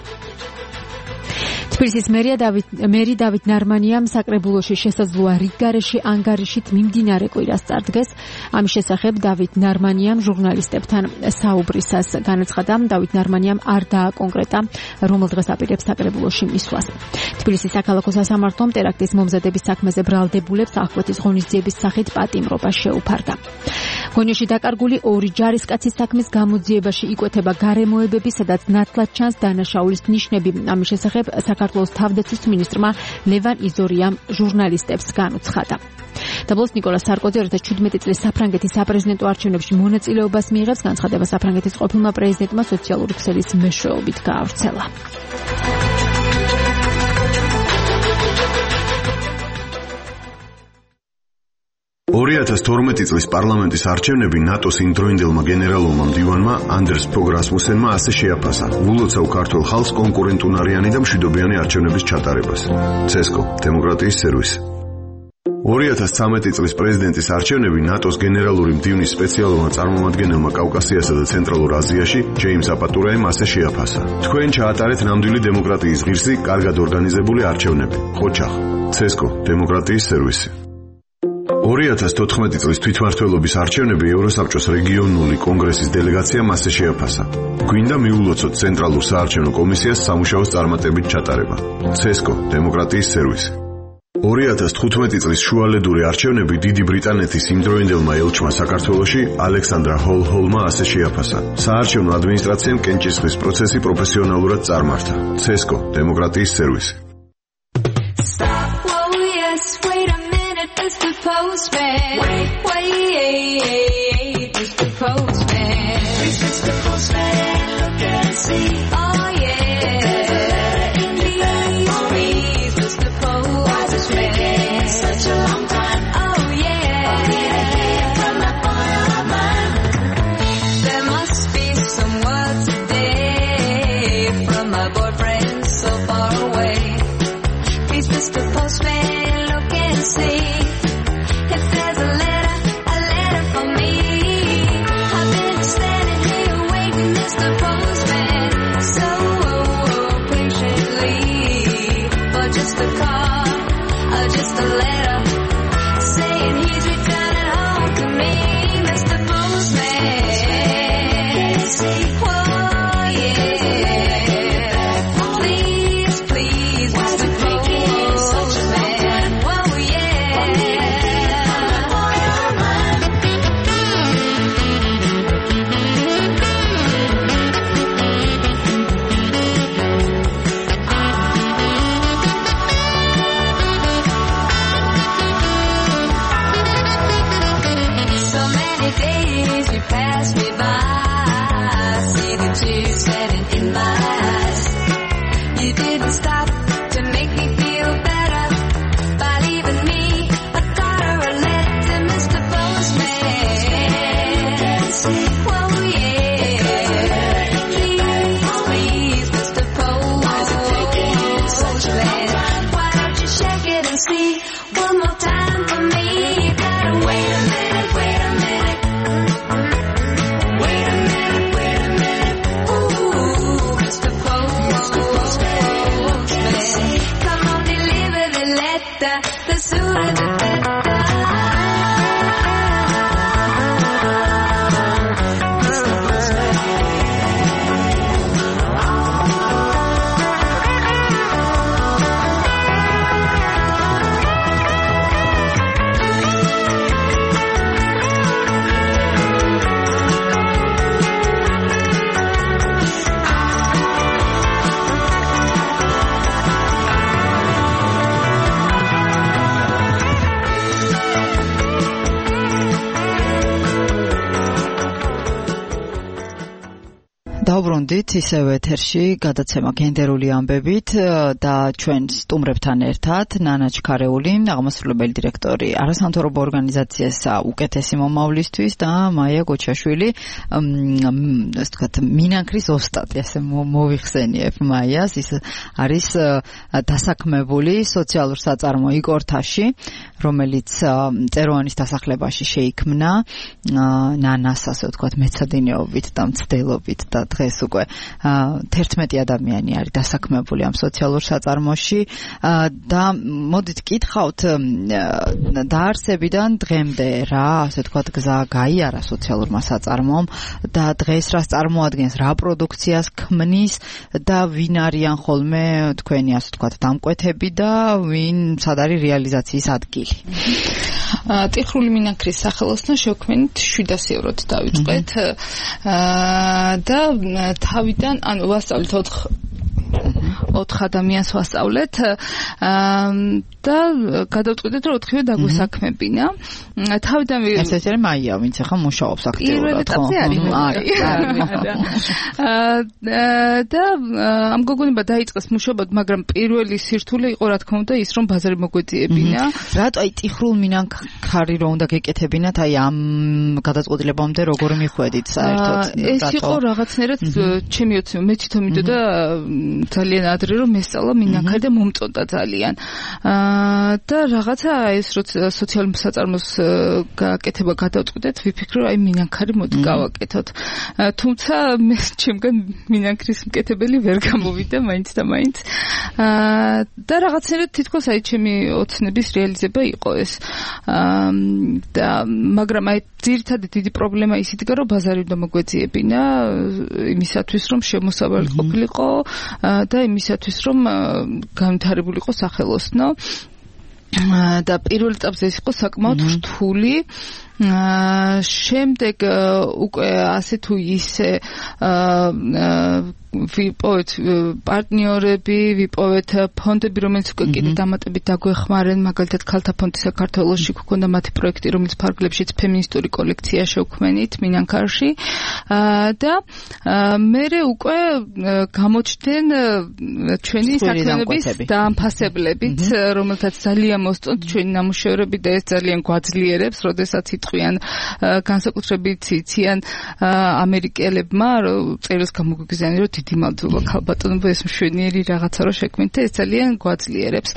თბილისის მერი დავით ნარმანიამ საკრებულოში შესაძლოა რიგგარეში ანგარიშით მიმდინარე კვირას წარდგეს. ამის შესახებ დავით ნარმანიამ ჟურნალისტებთან საუბრისას განაცხადა, დავით ნარმანიამ არ დააკონკრეტა, რომელ დღეს აპირებს საკრებულოში მისვლას. თბილისის საქალაქო სასამართლომ ტერაქტის მომზადების საქმეზე ბრალდებულებს აღკვეთის ღონისძიების სახით პატიმრობა შეუფარდა. გონიოში დაკარგული 2 ჯარისკაცის საქმის გამოძიებაში იკვეთება გარემოებები, სადაც ნათლად ჩანს დანაშაულის ნიშნები. ამის შესახებ საქართველოს თავდაცვის მინისტრმა ლევან იზორიამ ჟურნალისტებს განუცხადა. დაბლოს ნიკოლას სარკოზი 2017 წლის საფრანგეთის საპრეზიდენტო არჩევნებში მონაწილეობას მიიღებს. განცხადება საფრანგეთის ყოფილმა პრეზიდენტმა სოციალური ქსელის მეშვეობით გაავრცელა. 2012 წლის პარლამენტის არჩევნები ნატოს იმდროინდელმა გენერალურმა მდივანმა ანდერს ფოგ რასმუსენმა ასე შეაფასა ულოცავ ქართულ ხალხს კონკურენტუნარიანი და მშვიდობიანი არჩევნების ჩატარებას. ცესკო, დემოკრატიის სერვისი. 2013 წლის პრეზიდენტის არჩევნები ნატოს გენერალური მდივნის სპეციალურმა წარმომადგენელმა კავკასიასა და ცენტრალურ აზიაში ჯეიმს აპატურაემ ასე შეაფასა. თქვენ ჩაატარეთ ნამდვილი დემოკრატიის ღირსი, კარგად ორგანიზებული არჩევნები. ხოჩახ, ცესკო, დემოკრატიის სერვისი. 2014 წლის თვითმმართველობის არჩევნები ევროსაბჭოს რეგიონული კონგრესის დელეგაციამ ასე შეაფასა. გვინდა მიულოცოთ ცენტრალურ საარჩევნო კომისიას სამუშაოს წარმატებით ჩატარება. ცესკო, დემოკრატიის სერვისი. 2015 წლის შუალედური არჩევნები დიდი ბრიტანეთის იმდროინდელმა ელჩმა საქართველოში ალექსანდრა ჰოლჰოლმა ასე შეაფასა. საარჩევნო ადმინისტრაციამ კენჭისყრის პროცესი პროფესიონალურად წარმართა. ცესკო, დემოკრატიის სერვისი. Mr. Postman, wait, Mr. Postman. Please, Mr. Postman, look and see. Oh yeah, there's a letter in the mail. Please, Mr. Postman. Why is it taking such a long time? Oh yeah, come up on your mind. There must be some word today from my boyfriend so far away. Please, Mr. Postman, look and see. Just a letter saying he's returning home to me, Mr. Postman. Oh yeah, please, please, Mr. Postman. Oh yeah. დავბრუნდით ისევ ეთერში გადაცემა გენდერული ამბებით და ჩვენ სტუმრებთან ერთად ნანა ჩქარეული, აღმასრულებელი დირექტორი არასამთავრობო ორგანიზაციისა უკეთესი მომავლისთვის და მაია გოჩაშვილი, ასე ვთქვათ, მინანქრის ოსტატი, ასე მოვიხსენიებ მაიას, ის არის დასაქმებული სოციალურ საწარმო იკორთაში, რომელიც წეროვანის დასახლებაში შეიქმნა ნანას, ასე ვთქვათ, მეცადინეობით და მცდელობით და დღეს უკვე 11 ადამიანი არის დასაქმებული ამ სოციალურ საწარმოში და მოდით გითხავთ დაარსებიდან დღემდე რა, ასე ვთქვათ, გზა გაიარა სოციალურმა საწარმომ და დღეს რას წარმოადგენს, რა პროდუქციას ქმნის და ვინ არიან ხოლმე თქვენი, ასე ვთქვათ, დამკვეთები და ვინ სად არის რეალიზაციის ადგილი. ტიხრული მინანქრის სახელოსნო შევქმნით 700 ევროთ დავიწყეთ და თავიდან ანუ ვასწავლეთ 4 ადამიანს ვასწავლეთ და გადავწყვიტეთ რომ 4-ვე დაგვესაქმებინა. თავიდან ეს არის მაია, ვინც ახლა მუშაობს აქტიურად, ხო? და ამ გოგონება დაიწყეს მუშაობა, მაგრამ პირველი სირთულე იყო რა თქმა უნდა ის რომ ბაზარი მოგვეძიებინა. რატო აი ტიხრულ მინანქარი რომ უნდა გეკეთებინათ, აი ამ გადაწყვეტილებამდე როგორ მიხვედით საერთოდ? ეს იყო რაღაცნაირად ჩემი ოცნება, მე თვითონ მიდოდა ძალიან ადრე რომ მესწავლა მინანქარი და მომწონდა ძალიან. და რაღაცა ეს როცა სოციალურ საწარმოს გაკეთება გადავწყვიტეთ, ვიფიქრე აი მინანქარი მოდი გავაკეთოთ. თუმცა მე ჩემგან მინანქრის მკეთებელი ვერ გამოვიდა მაინც და მაინც. და რაღაცნაირად თითქოს აი ჩემი ოცნების რეალიზება იყო ეს. და მაგრამ აი ძირითადი დიდი პრობლემა ის იდგა რომ ბაზარი უნდა მოგვეძიებინა იმისათვის რომ შემოსავალი ყოფილიყო და იმისათვის რომ განვითარებულიყო სახელოსნო და პირველ ეტაპზე ის იყო საკმაოდ რთული. შემდეგ უკვე ასე თუ ისე ვიპოვეთ პარტნიორები, ვიპოვეთ ფონდები, რომელიც უკვე კიდე დამატებით დაგვეხმარენ, მაგალითად ქალთა ფონდი საქართველოში გვქონდა მათი პროექტი, რომელიც ფარგლებშიც ფემინისტური კოლექცია შევქმენით მინანქარში და მერე უკვე გამოჩნდნენ ჩვენი საქმიანობის დაამფასებლებით, რომელთაც ძალიან მოსწონთ ჩვენი ნამუშევრები და ეს ძალიან გვაძლიერებს, როდესაც იტყვიან განსაკუთრებით იციან ამერიკელებმა, წერილს გამოგვიგზავნე, რომ დიდი მადლობა ქალბატონებო, ეს მშვენიერი რაღაცა რომ შექმნით და ეს ძალიან გვაძლიერებს.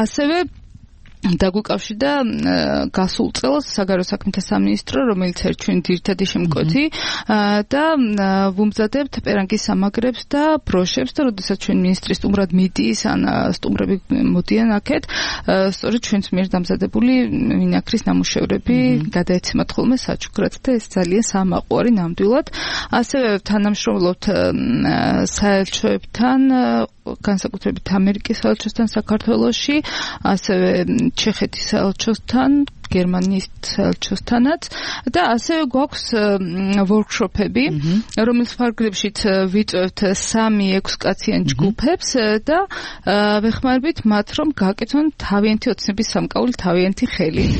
ასევე დაგვიკავშირდა გასულ წელს საგარეო საქმეთა სამინისტრო, რომელიც არის ჩვენი ძირითადი შემკვეთი და ვუმზადებთ პერანგის სამაგრებს და ბროშებს და როდესაც ჩვენ მინისტრი სტუმრად მიდის, ან სტუმრები მოდიან აქეთ, სწორედ ჩვენს მიერ დამზადებული მინანქრის ნამუშევრები გადაეცემათ ხოლმე საჩუქრად და ეს ძალიან სამაყვარი ნამდვილად. ასევე თანამშრომლობთ საელჩოებთან, განსაკუთრებით ამერიკის საელჩოსთან საქართველოში, ასევე ჩეხეთის საელჩოსთან, გერმანიის საელჩოსთანაც და ასევე გვაქვს ვორქშოპები, რომლის ფარგლებშიც ვიწევთ 3-6 კაციან ჯგუფებს და ვეხმარებით მათ, რომ გააკეთონ თავიანთი ოცნების სამკაული თავიანთი ხელით.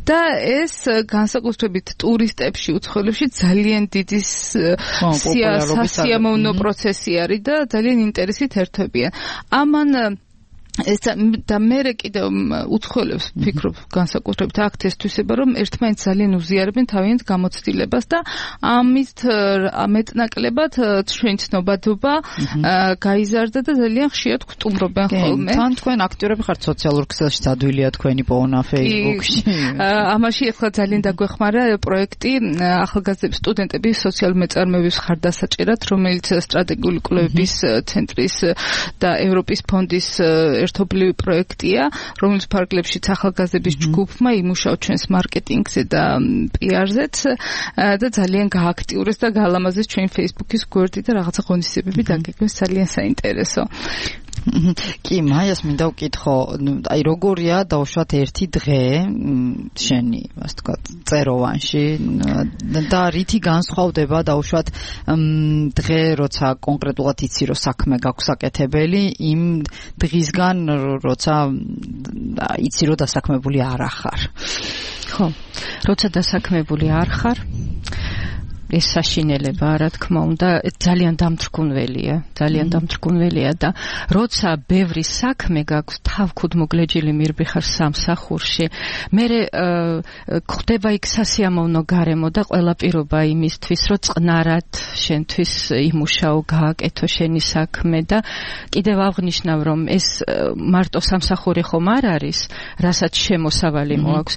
და ეს განსაკუთრებით ტურისტებში, უცხოელებში ძალიან დიდი სასიამოვნო პროცესი არის და ძალიან ინტერესით ერთვებიან. ამან ეს და მე კიდევ უცხოელებს ვფიქრობ განსაკუთრებით აქ ეს თვისება რომ ერთმანეთს ძალიან უზიარებენ თავიანთ გამოცდილებას და ამით ამეტნაკლებად ჩვენი ცნობადობა გაიზარდა და ძალიან ხშირად გვტუმრობენ ხოლმე. თან თქვენ აქტიურები ხართ სოციალურ ქსელში, ადვილია თქვენი პოვნა Facebook-ში. ამაში ახლა ძალიან დაგვეხმარა პროექტი ახალგაზრდების სტუდენტების სოციალური მეწარმეობის ხარდასაჭერად, რომელიც სტრატეგიული კვლევების ცენტრის და ევროპის ფონდის ერთობლივი პროექტია, რომელიც ფარგლებშიც ახალგაზრდების ჯგუფმა იმუშავა ჩვენს მარკეტინგზე და PR-ზეც და ძალიან გააქტიურეს და გაალამაზეს ჩვენი Facebook-ის გვერდი და რაღაცა ღონისძიებები დაგეგმეს, ძალიან საინტერესო. კი, მაიას მინდა ვკითხო, აი როგორია დაუშვათ ერთი დღე შენი, ასე ვთქვათ, წეროვანში და რითი განსხვავდება დაუშვათ დღე, როცა კონკრეტულად იცი, რომ საქმე გაქვს საკეთებელი, იმ დღისგან, როცა იცი, რომ დასაქმებული არ ახარ. ხო, როცა დასაქმებული არ ხარ, ეს საშინელება, რა თქმა უნდა, ძალიან დამთრგუნველია და როცა ბევრი საქმე გაქვს თავქუდ მოგლეჯილი მირბიხარ სამსახურში, მე ხდება იქ სასიამოვნო გარემო და ყველა პირობა იმისთვის, რომ წყნარად შენთვის იმუშაო, გააკეთო შენი საქმე და კიდევ აღნიშნავ, რომ ეს მარტო სამსახური ხომ არ არის, რასაც შემოსავალი მოაქვს.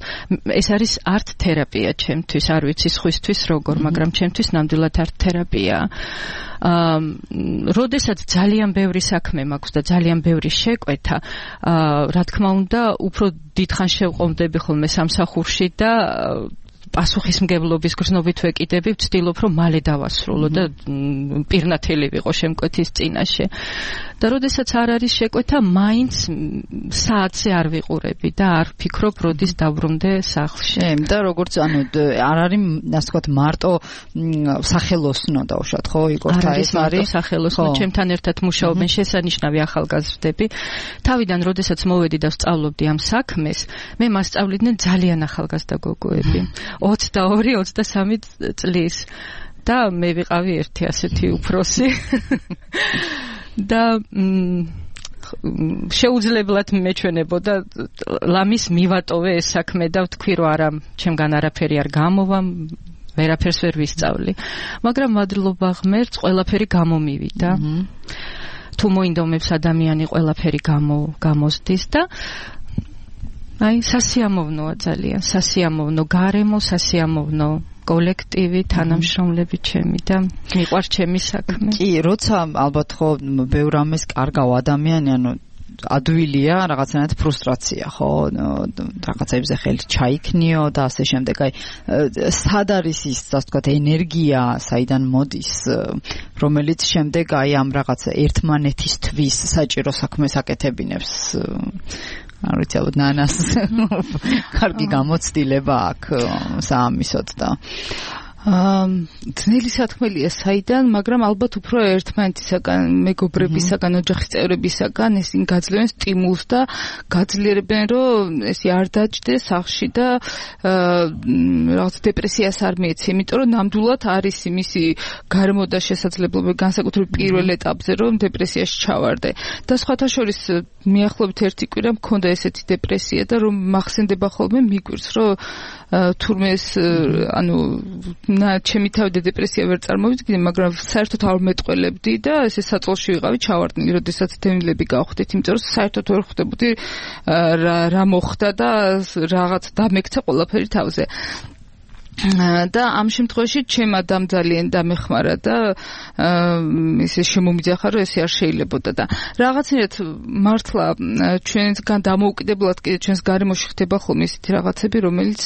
ეს არის არტ თერაპია ჩემთვის, არ ვიცი სხვისთვის როგორ, მაგრამ ჩემთვის ნამდვილად არტ თერაპია. როდესაც ძალიან ბევრი საქმე მაქვს და ძალიან ბევრი შეკვეთა, რა თქმა უნდა, უფრო დიდხანს შევყომდები ხოლმე სამსახურში და პასუხისმგებლობის გრძნობით ვეკიდები, ვცდილობ, რომ მალე დავასრულო და პირნათელი ვიყო შემკვეთის წინაშე. და როდესაც არ არის შეკვეთა, მაინც საათზე არ ვიყურები და არ ვფიქრობ, როდის დავრუნდე სახლში. და როგორც არ არის, ასე ვთქვათ, მარტო სახელოსნო დაუშვათ, ხო, იგორთა, ეს არის სახელოსნო, ჩემთან ერთად მუშაობენ შესანიშნავი ახალგაზრდები. თავიდან როდესაც მოვედი და ვსწავლობდი ამ საქმეს, მე მასწავლიდნენ ძალიან ახალგაზრდა გოგოები. 22-23 წლის და მე ვიყავი ერთი ასეთი უფროსი და შეუძლებლად მეჩვენებოდა ლამის მივატოვე ეს საქმე და ვთქვი რომ არა, ჩემგან არაფერი არ გამოვა, ვერაფერს ვერ ვისწავლი, მაგრამ მადლობა ღმერთს ყველაფერი გამომივიდა. თუ მოინდომებს ადამიანი ყველაფერი გამოსდის და აი სასიამოვნოა ძალიან, სასიამოვნო გარემო, სასიამოვნო კოლექტივი, თანამშრომლები ჩემი და მიყვარს ჩემი საქმე. კი, როცა ალბათ ხო ბევრ ამას კარგავ ადამიანი, ადვილია რაღაცნაირად ფრუსტრაცია, ხო, რაღაცებზე ხელი ჩაიქნიო და ასე შემდეგ. აი, სად არის ის, ასე ვთქვათ, ენერგია, საიდან მოდის, რომელიც შემდეგ აი ამ რაღაც ერთმანეთისთვის საჭირო საქმეს აკეთებინებს. არ ვიცი, ალბათ ნანას კარგი გამოცდილება აქვს საამისოდ და ძნელი სათქმელია საიდან, მაგრამ ალბათ უფრო ერთმანეთისაგან, მეგობრებისაგან, ოჯახის წევრებისაგან ისინი გაძლევენ სტიმულს და გაძლიერებენ, რომ ესე არ დაჭდეს სახლში და რაღაც დეპრესიას არ მიეცი, იმიტომ რომ ნამდვილად არის იმისი გარემო და შესაძლებლობა განსაკუთრებით პირველ ეტაპზე, რომ დეპრესიაში ჩავარდე. და სხვათა შორის მიახლოებით ერთი კვირა მქონდა ესეთი დეპრესია და რომ მახსენდება ხოლმე მიგვირს, რომ თურმე ეს ჩემი თავი დეპრესია ვერ წარმოვიდგინე, მაგრამ საერთოდ არ მეტყველებდი და ესე საწოლში ვიყავი ჩავარდნილი, როდესაც დევნილები გავხდით, იმიტომ რომ საერთოდ ვერ ხვდებოდი რა მოხდა და რაღაც დამექცა ყველაფერი თავზე. და ამ შემთხვევაში ჩემ ადამძალიან დამეხმარა და ისე შემომიძახა, რომ ესე არ შეიძლებოდა და რაღაცნაირად მართლა ჩვენგან დამოუკიდებლად კიდე ჩვენს გარემოში ხდება ხოლმე ისეთი რაღაცები, რომელიც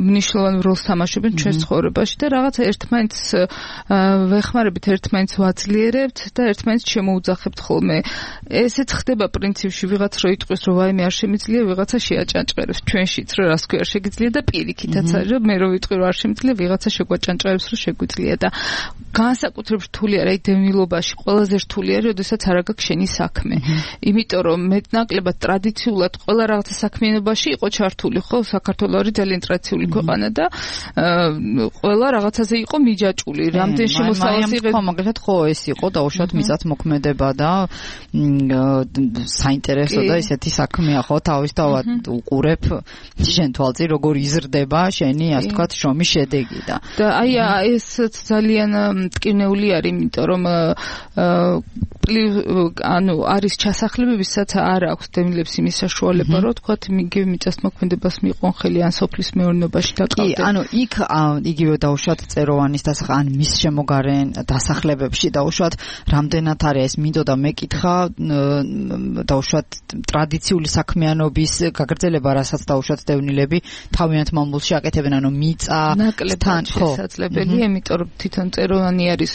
მნიშვნელოვან როლს თამაშობენ ჩვენს ცხოვრებაში და რაღაცა ერთმანეთს ვეხმარებით, ერთმანეთს ვაძლიერებთ და ერთმანეთს შემოუძახებთ ხოლმე. ესეც ხდება პრინციპში, ვიღაც რო იტყვის, რომ ვაიმე არ შემიძლია, ვიღაცა შეაჭანჭყერებს ჩვენშიც, რომ რას ქვია არ შეგიძლია და პირიქითაც არის, რომ მე რო ვიტყვი რომ არ შემიძლია, ვიღაცა შეგვაჭანჭყერებს, რომ შეგვიძლია და განსაკუთრებით რთული არის დევნილობაში, ყველაზე რთული არის, როდესაც არ აქვს შენი საქმე. იმიტომ რომ მეტნაკლებად ტრადიციულად ყველა რაღაცა საქმიანობაში იყო ჩართული, ხო, საქართველო არის ძალიან ტრადიციული ქვეყანა და ყველა რაღაცაზე იყო მიჯაჭული. რამდენ შემოსავალს იღებს. ხო, მაგალითად ხო ეს იყო დაუშვათ მიწათმოქმედება და საინტერესო და ისეთი საქმეა, ხო, თავისთავად უყურებ შენ თვალწინ როგორ იზრდება შენი, ასე ვთქვათ, შრომის შედეგი და აი ეს ძალიან მტკივნეული არის, იმიტომ რომ არის ჩასახლებებისაც არ აქვს დევნილებს იმის საშუალება, რომ ვთქვათ, იგივე მიწათმოქმედებას მიყვონ ხელი ან სოფლის მეურნეობაში დაკავდნენ. კი, იქ იგივე დაუშვათ წეროვანის ან მის შემოგარენ დასახლებებში დაუშვათ რამდენად არის ეს მინდოდა მეკითხა დაუშვათ ტრადიციული საქმიანობის გაგრძელება, რასაც დაუშვათ დევნილები თავიანთ მამულში აკეთებენ, ანუ მიწა ნაკლებად შესაძლებელია, იმიტომ რომ თვითონ წეროვანი არის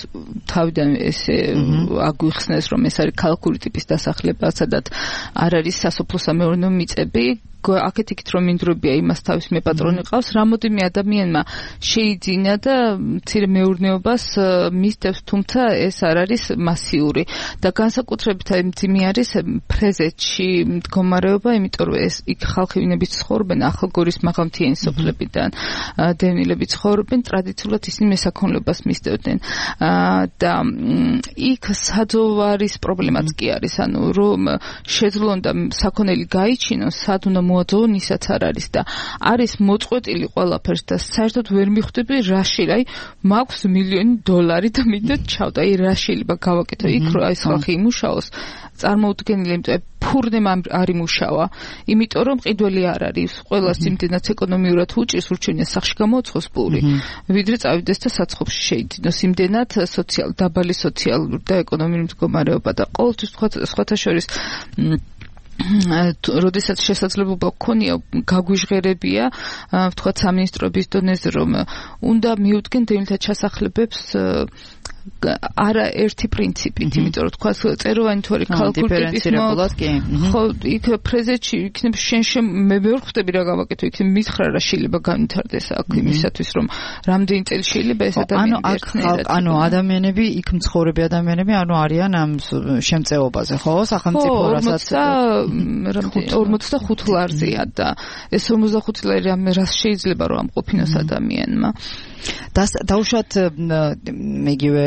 თავიდან ესე აგვიხსნეს, რომ ეს არის ქალაქური ტიპის დასახლება, სადაც არ არის სასოფლო-სამეურნეო მიწები, აქეთ იქით რომ მინდვრებია იმას თავის მეპატრონი ყავს, რამოდენიმე ადამიანმა შეიძინა და მცირე მეურნეობას მისდევს, თუმცა ეს არ არის მასიური და განსაკუთრებით მძიმე არის ფრეზეთში მდგომარეობა, იმიტომ რომ ეს იქ ხალხი ვინებიც ცხოვრობენ ახალგორის მაღალმთიანი სოფლებიდან, დევნილები ცხოვრობენ, ტრადიციულად ისინი მესაქონლებას მისდევდნენ და იქ საძოვარის პრობლემაც კი არის, ანუ რომ შეძლონდა საქონელი გაიჩინოს, სად უნდა მოაძოვონ, ისაც არ არის და არის მოწყვეტილი ყველაფერს და საერთოდ ვერ მიხვდები რა შეიძლება, მაქვს $1,000,000 და მინდა ჩავდა, რა შეიძლება გავაკეთო იქ, რომ ეს ხალხი იმუშაოს, წარმოუდგენელი, იმიტომ ფურნემ არ იმუშავა, იმიტომ რომ მყიდველი არ არის, ყველას იმდენად ეკონომიურად უჭირს, ურჩევნია სახში გამოუცხოს პური, ვიდრე წავიდეს და საცხობში შეიძინოს, იმდენად დაბალი სოციალური და ეკონომიური მდგომარეობა და ყოველთვის სხვათა შორის როდესაც შესაძლებლობა გქონია გაგვიჟღერებია ვთქვათ სამინისტროების დონეზე რომ უნდა მიუდგენ დევნილთა ჩასახლებებს არა ერთი პრინციპით, იმიტომ რომ თქვა წეროვანი თუ არის ქალკულტურის ხო, იქ ფრეზეთში იქნებ შენ მე ვერ ხვდები რა გავაკეთო, იქ მითხრა რა შეიძლება განვითარდეს აქ იმისათვის რომ რამდენი წელი შეიძლება ეს ადამიანი ერთნაირად ანუ ადამიანები იქ მცხოვრები ადამიანები ანუ არიან ამ შემწეობაზე ხო სახელმწიფო რასაც 45 ლარზეა და ეს 55 ლარი რას შეიძლება რომ ამყოფინოს ადამიანმა დაუშვათ მეგივე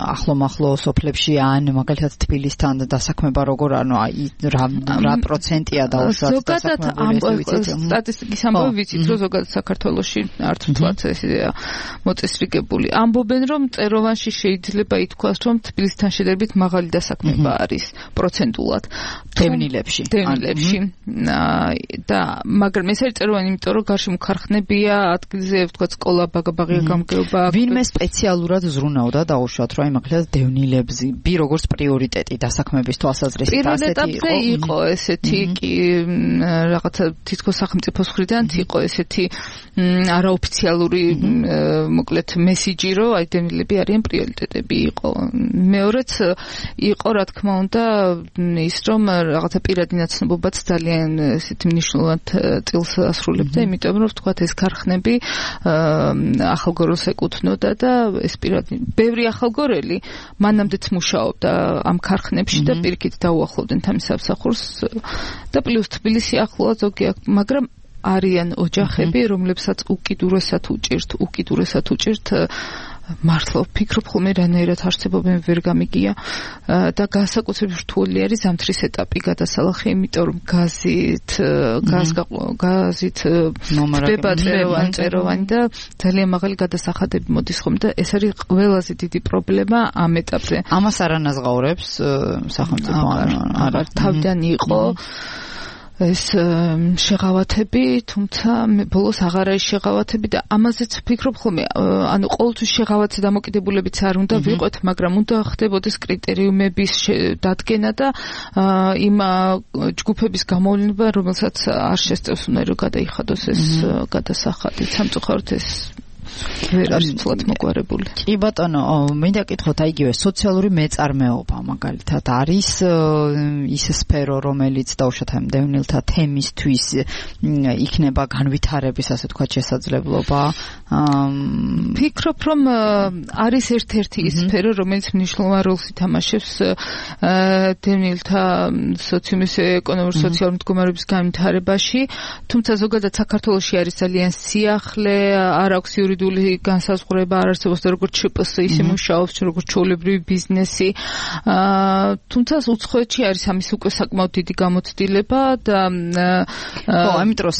ახლო სოფლებში ან მაგალითად თბილისთან დასაქმება როგორ ანუ რა პროცენტია დაუშვათ სტატისტიკის ამბავი ვიცით რომ ზოგადად საქართველოში არც მთლად ესეა მოწესრიგებული ამბობენ რომ წეროვანში შეიძლება ითქვას რომ თბილისთან შედარებით მაღალი დასაქმება არის პროცენტულად დევნილებში და მაგრამ ეს არის წეროვანი იმიტომ რომ გარშემო ქარხნებია ადგილზე ვთქვათ სკოლა ბაღია გამგეობა ვინმე სპეციალურად ზრუნავდა დაუშვათ რომ მაგალითად დევნილებს ბი როგორც პრიორიტეტი დასაქმების თვალსაზრისით ასეთი იყო ესეთი კი რაღაცა თითქოს სახელმწიფოს მხრიდან იყო ესეთი არაოფიციალური მოკლედ მესიჯი რომ აი დევნილები არიან პრიორიტეტები იყო მეორეც იყო რა თქმა უნდა ის რომ რაღაცა პირადი ნაცნობობაც ძალიან ესეთი მნიშვნელოვან წილს ასრულებდა იმიტომ რომ ვთქვათ ეს ქარხნები ახალგოროს ეკუთვნოდა და ეს პირადი ბევრი ახალგორელი მანამდეც მუშაობდა ამ ქარხნებში და პირიქით დაუახლოვდნენ თამის სამსახურს და პლუს თბილისი ახლოა ზოგი მაგრამ არიან ოჯახები რომლებსაც უკიდურესად უჭირთ მართლა ვფიქრობ ხოლმე რანაირად არსებობენ ვერ გამიგია და განსაკუთრებით რთული არის ზამთრის ეტაპი გადასალახი იმიტომ რომ გაზით ხდება წეროვანი და ძალიან მაღალი გადასახადები მოდის ხომ და ეს არის ყველაზე დიდი პრობლემა ამ ეტაპზე ამას არ ანაზღაურებს სახელმწიფო არა თავიდან იყო ეს შეღავათები, თუმცა ბოლოს აღარ არის შეღავათები და ამაზეც ვფიქრობ ხოლმე, ანუ ყოველთვის შეღავათზე დამოკიდებულებიც არ უნდა ვიყოთ, მაგრამ უნდა ხდებოდეს კრიტერიუმების დადგენა და იმ ჯგუფების გამოვლენა, რომელსაც არ შესწევს უნდა რომ გადაიხადოს ეს გადასახადი. სამწუხაროდ ეს ვერ არის ცოტა მოგვარებული. კი ბატონო, მინდა კითხოთ, აი იგივე სოციალური მეწარმეობა მაგალითად არის ის სფერო, რომელიც დაუშვათ ამ დევნილთა თემისთვის იქნება განვითარების, ასე ვთქვათ, შესაძლებლობა. ვფიქრობ, რომ არის ერთ-ერთი ის სფერო, რომელიც მნიშვნელოვან როლს ითამაშებს დევნილთა სოციუმის ეკონომიკური სოციალური მდგომარეობის განვითარებაში, თუმცა ზოგადად საქართველოში არის ძალიან სიახლე, არ აქვს იურიდიული განსაზღვრება არ არსებობს და როგორც ЧПС ისე მუშაობს, როგორც ჩვეულებრივი ბიზნესი. თუმცა უცხოეთში არის ამის უკვე საკმაოდ დიდი გამოცდილება და ხო, ამიტომ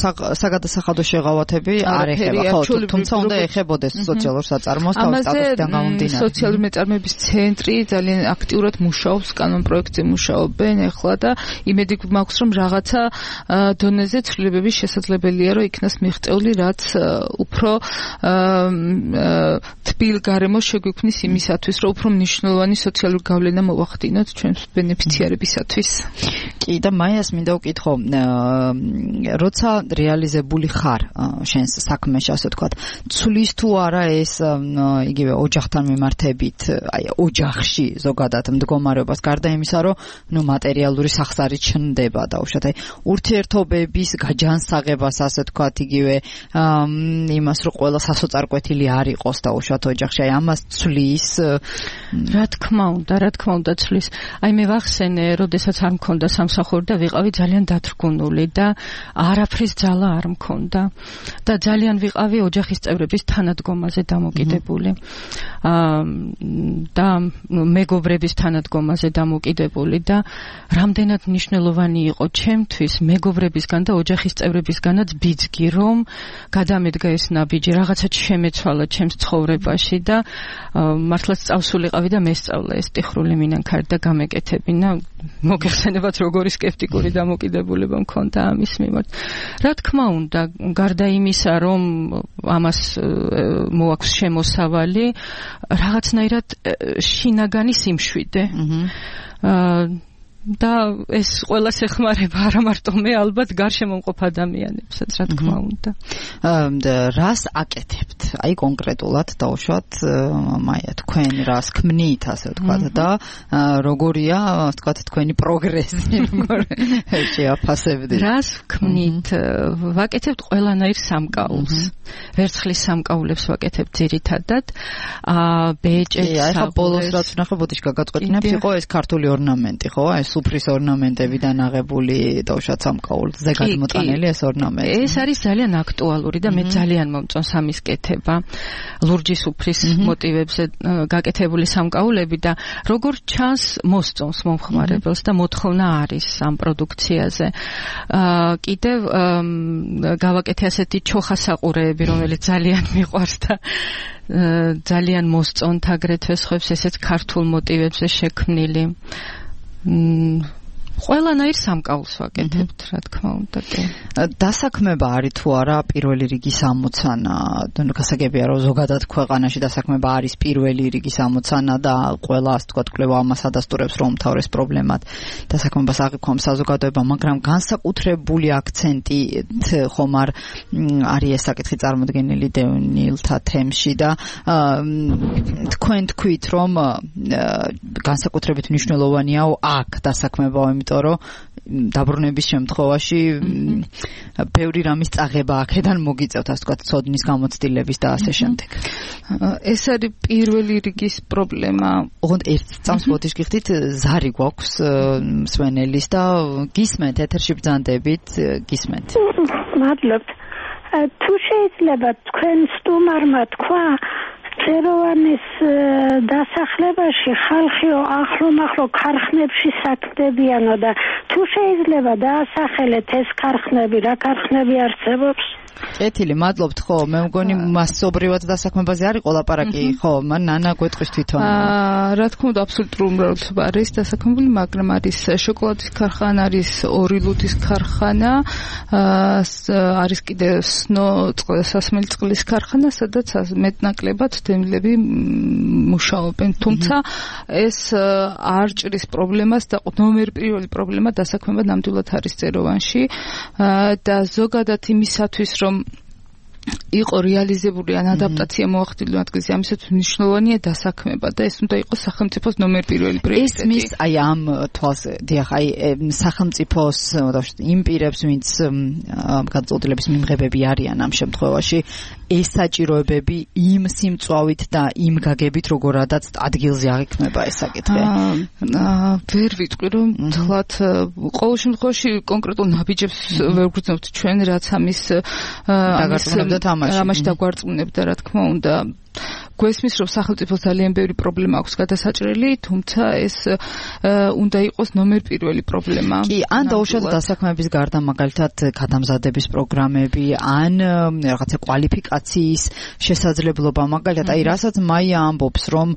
საგადასახადო შეღავათები არ ეხება, ხო, თუმცა უნდა ეხებოდეს სოციალურ საწარმოს სტატუსიდან გამომდინარე. სოციალური მეწარმეობის ცენტრი ძალიან აქტიურად მუშაობს, კანონ პროექტზე მუშაობენ ახლა და იმედი მაქვს, რომ რაღაცა დონეზე ცვლილებები შესაძლებელია, რომ იქნას მიღწეული, რაც უფრო თბილ გარემოს შეგვიქმნის იმისათვის, რომ უფრო მნიშვნელოვანი სოციალური გავლენა მოვახდინოთ ჩვენს ბენეფიციარებისათვის. კი და მაიას მინდა ვკითხო, როცა რეალიზებული ხარ შენს საქმეში, ასე ვთქვათ, ცulis თუ არა ეს იგივე ოჯახთან მიმართებით, აი ოჯახში ზოგადად მდგომარეობას გარდა იმისა, რომ მატერიალური სახსარი ჩნდება დაუშვათ, აი ურთიერთობების გაჯანსაღებას, ასე ვთქვათ, იგივე იმას, რომ ყველა სასოწარკვეთილი არ იყოს დაუშვათ ოჯახში, აი ამას ცulis. რა თქმა უნდა ცulis. აი მე ვახსენე, როდესაც არ მქონდა სამსახური და ვიყავი ძალიან დათრგუნული და არაფრის ძალა არ მქონდა და ძალიან ვიყავი ოჯახის წევრების თანადგომაზე დამოკიდებული. და მეგობრების თანადგომაზე დამოკიდებული და რამდენად მნიშვნელოვანი იყო ჩემთვის მეგობრებისგან და ოჯახის წევრებისგანაც ბიძგი, რომ გადამედგა ეს ნაბიჯი, რაღაცაც შემეცვალა ჩემს ცხოვრებაში და მართლაც წავსულიყავი და მესწავლა ეს ტიხრული მინანქარი და გამეკეთებინა. მოგეხსენებათ როგორი სკეპტიკური დამოკიდებულება მქონდა ამის მიმართ. რა თქმა უნდა, გარდა იმისა, რომ ამას მოაქვს შემოსავალი, რაღაცნაირად შინაგანი სიმშვიდე. და ეს ყველას ეხმარება, არა მარტო მე, ალბათ გარშემო მყოფ ადამიანებსაც, რა თქმა უნდა. რას აკეთებთ? აი კონკრეტულად დავუშვათ, მაია თქვენ რას ქმნით, ასე ვთქვათ და როგორია, ასე ვთქვათ, თქვენი პროგრესი, როგორ შეაფასებდით? რას ქმნით? ვაკეთებთ ყველანაირ სამკაულს. ვერცხლის სამკაულებს ვაკეთებთ ძირითადად. ბეჭედს, აი ხა ბოლოს რაც ვნახე ბოდიშ გაგაწყვეტინებთ, იყო ეს ქართული ორნამენტი, ხო? სუფრის ორნამენტებიდან აღებული დავუშვათ სამკაულზე გადმოტანილი ეს ორნამენტი. ეს არის ძალიან აქტუალური და მე ძალიან მომწონს ამის კეთება. ლურჯი სუფრის მოტივებზე გაკეთებული სამკაულები და როგორ ჩანს მოსწონს მომხმარებელს და მოთხოვნა არის ამ პროდუქციაზე. კიდევ გავაკეთე ასეთი ჩოხასაყურეები, რომელიც ძალიან მიყვარს და ძალიან მოსწონთ აგრეთვე სხვებს ესეც ქართულ მოტივებზე შექმნილი. ყველანაირ სამკაულს ვაკეთებთ, რა თქმა უნდა. დასაქმება არის თუ არა პირველი რიგის ამოცანა? გასაგებია, რომ ზოგადად ქვეყანაში დასაქმება არის პირველი რიგის ამოცანა და ყველა, ასე ვთქვათ, კვლევა ამას ადასტურებს, რომ უმთავრეს პრობლემად დასაქმებას აღიქვამს საზოგადოება, მაგრამ განსაკუთრებული აქცენტით ხომ არ არის ეს საკითხი წარმოდგენილი დევნილთა თემში და თქვენ თქვით, რომ განსაკუთრებით მნიშვნელოვანია აქ დასაქმება, იმიტომ რომ დაბრუნების შემთხვევაში ბევრი რამის წაღება აქედან მოგიწევთ, ასე ვთქვათ, ცოდნის გამოცდილების და ასე შემდეგ. ეს არის პირველი რიგის პრობლემა. ოღონდ ერთ წამს ბოდიშ გიხდით, ზარი გვაქვს მსვენელის და გისმენთ, ეთერში ბრძანდებით, გისმენთ. მადლობთ. თუ შეიძლება თქვენ სტუმარმა თქვა წეროვანის დასახლებაში ხალხიო ახლომახლო ქარხნებში საქმდებიანო და თუ შეიძლება დაასახელეთ ეს ქარხნები, რა ქარხნები არსებობს? კეთილი, მადლობთ, ხო, მე მგონი მასობრივად დასაქმებაზე არის ყოლაპარაკი, ხო, მან ნანა გვეტყვის თვითონ. რა თქმა უნდა, აბსოლუტური უმრავლესობა არის დასაქმებული, მაგრამ არის შოკოლადის ქარხანა, არის ორილუდის ქარხანა, არის კიდევ სასმელი წყლის ქარხანა, სადაც მეტნაკლებად დევნილები მუშაობენ, თუმცა ეს არ ჭრის პრობლემას და ნომერ პირველი პრობლემა დასაქმება ნამდვილად არის წეროვანში და ზოგადად იმისათვის, რომ იყო რეალიზებული ან ადაპტაცია მოახდინო ადგილზე, ამისაც მნიშვნელოვანია დასაქმება და ეს უნდა იყოს სახელმწიფოს ნომერ პირველი პრიორიტეტი. ესმის აი ამ თვალზე, დიახ, აი სახელმწიფოს იმ პირებს, ვინც გადაწყვეტილების მიმღებები არიან ამ შემთხვევაში, ეს საჭიროებები იმ სიმწვავით და იმ გაგებით, როგორადაც ადგილზე აღიქმება ეს საკითხი. ვერ ვიტყვი, რომ თქვათ, ყოველ შემთხვევაში კონკრეტულ ნაბიჯებს ვერ გვგრძნობთ ჩვენ, რაც ამის ამაში ამაში დაგვარწმუნებდა, რა თქმა უნდა. გვესმის რომ სახელმწიფოს ძალიან ბევრი პრობლემა აქვს გადასაჭრელი, თუმცა ეს უნდა იყოს ნომერ პირველი პრობლემა. კი, ან დაუშვათ დასაქმების გარდა მაგალითად გადამზადების პროგრამები, ან რაღაცა კვალიფიკაციის შესაძლებლობა, მაგალითად აი რასაც მაია ამბობს, რომ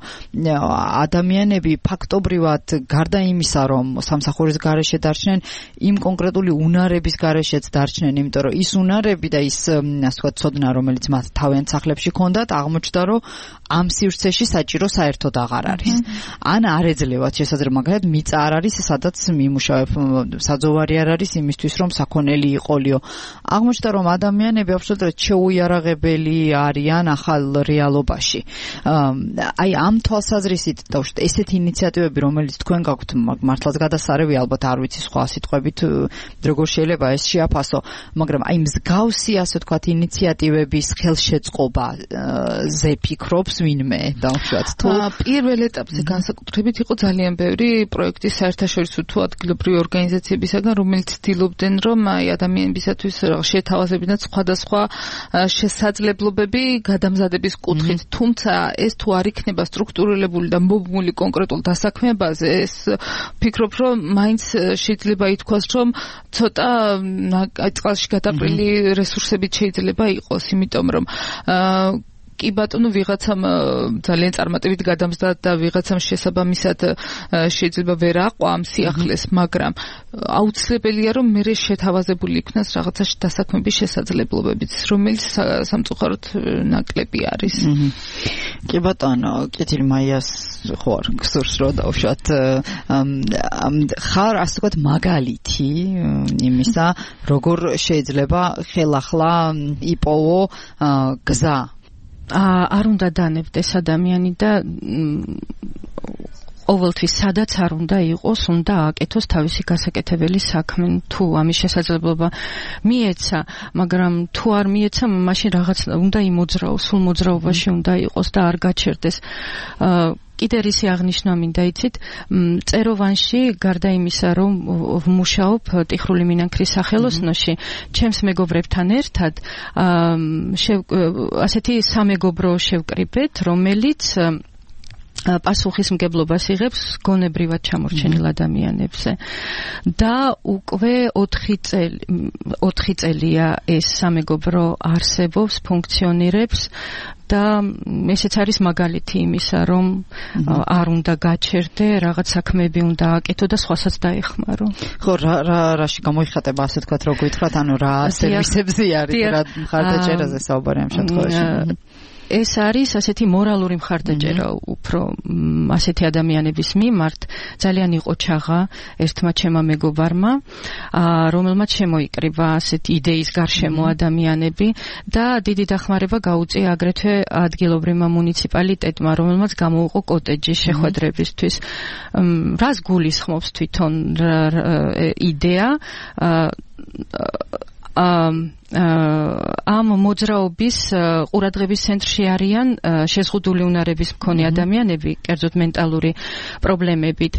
ადამიანები ფაქტობრივად გარდა იმისა, რომ სამსახურის გარეშე დარჩნენ, იმ კონკრეტული უნარების გარეშეც დარჩნენ, იმიტომ რომ ის უნარები და ის ასე ვთქვათ ცოდნა, რომელიც მათ თავიანთ სახლებში ჰქონდათ, აღმოჩნდა, რომ ამ სივრცეში საჭირო საერთოდ აღარ არის. ან არ ეძლევათ შესაძლებლობა, მაგალითად მიწა არ არის, სადაც მიმუშავებ, საძოვარი არ არის იმისთვის, რომ საქონელი იყოლიო. აღმოჩნდა, რომ ადამიანები აბსოლუტურად შეუიარაღებელი არიან ახალ რეალობაში. აი ამ თვალსაზრისით დავუშვათ ესეთი ინიციატივები, რომელიც თქვენ გაქვთ, მართლაც გადასარევი, ალბათ არ ვიცი სხვა სიტყვებით როგორ შეიძლება ეს შეაფასო, მაგრამ აი მსგავსი ასე ვთქვათ ინიციატივების ხელშეწყობაზე ფიქრობს ვინმე დავუშვათ თუ პირველ ეტაპზე განსაკუთრებით იყო ძალიან ბევრი პროექტი საერთაშორისო თუ ადგილობრივი ორგანიზაციებისაგან, რომელიც ცდილობდნენ, რომ აი ადამიანებისათვის შეთავაზებინათ სხვადასხვა შესაძლებლობები გადამზადების კუთხით, თუმცა ეს თუ არ იქნება სტრუქტურირებული და მობმული კონკრეტულ დასაქმებაზე, ეს ფიქრობ, რომ მაინც შეიძლება ითქვას, რომ ცოტა წყალში გადაყრილი რესურსებით შეიძლება იყოს, იმიტომ რომ კი ბატონო ვიღაცამ ძალიან წარმატებით გადამზდა და ვიღაცამ შესაბამისად შეიძლება ვერ აყვა ამ სიახლეს, მაგრამ აუცილებელია რომ მე შეთავაზებული იქნას რაღაცა დასაქმების შესაძლებლობებით, რომელიც სამწუხაროდ ნაკლები არის. კი ბატონო, კეთილი მაიას ხوار გსურს რომ დავუშვათ ხარ ასე ვთქვათ მაგალითი იმისა, როგორ შეიძლება ხელახლა იპოვო გზა არ უნდა დანებდეს ადამიანი და ყოველთვის სადაც არ უნდა იყოს, უნდა აკეთოს თავისი გასაკეთებელი საქმე. თუ ამის შესაძლებლობა მიეცა, მაგრამ თუ არ მიეცა, მაშინ რაღაც უნდა იმოძრაოს, სულ მოძრაობაში უნდა იყოს და არ გაჩერდეს. კიდე რისი აღნიშნა მინდა იცით, წეროვანში გარდა იმისა, რომ ვმუშაობ ტიხრული მინანქრის სახელოსნოში, ჩემს მეგობრებთან ერთად ასეთი სამეგობრო შევკრიბეთ, რომელიც პასუხისმგებლობას იღებს გონებრივად ჩამორჩენილ ადამიანებზე და უკვე 4 წელია ეს სამეგობრო არსებობს, ფუნქციონირებს და ესეც არის მაგალითი იმისა, რომ არ უნდა გაჩერდე, რაღაც საქმეები უნდა აკეთო და სხვასაც დაეხმარო. ხო, რაში გამოიხატება, ასე ვთქვათ, რო გითხრათ, ანუ რა სერვისებზე არის, რა მხარდაჭერაზე საუბარი ამ შემთხვევაში. ეს არის ასეთი მორალური მხარდაჭერა უფრო ასეთი ადამიანების მიმართ. ძალიან იყო ჩაღა ერთმა ჩემმა მეგობარმა, რომელმაც შემოიკრიბა ასეთი იდეის გარშემო ადამიანები და დიდი დახმარება გაუწია აგრეთვე ადგილობრივმა მუნიციპალიტეტმა, რომელმაც გამოუყო კოტეჯი შეხვედრებისთვის. რას გულისხმობს თვითონ იდეა? ამ მოძრაობის ყურადღების ცენტრში არიან შეზღუდული უნარების მქონე ადამიანები, კერძოდ მენტალური პრობლემებით,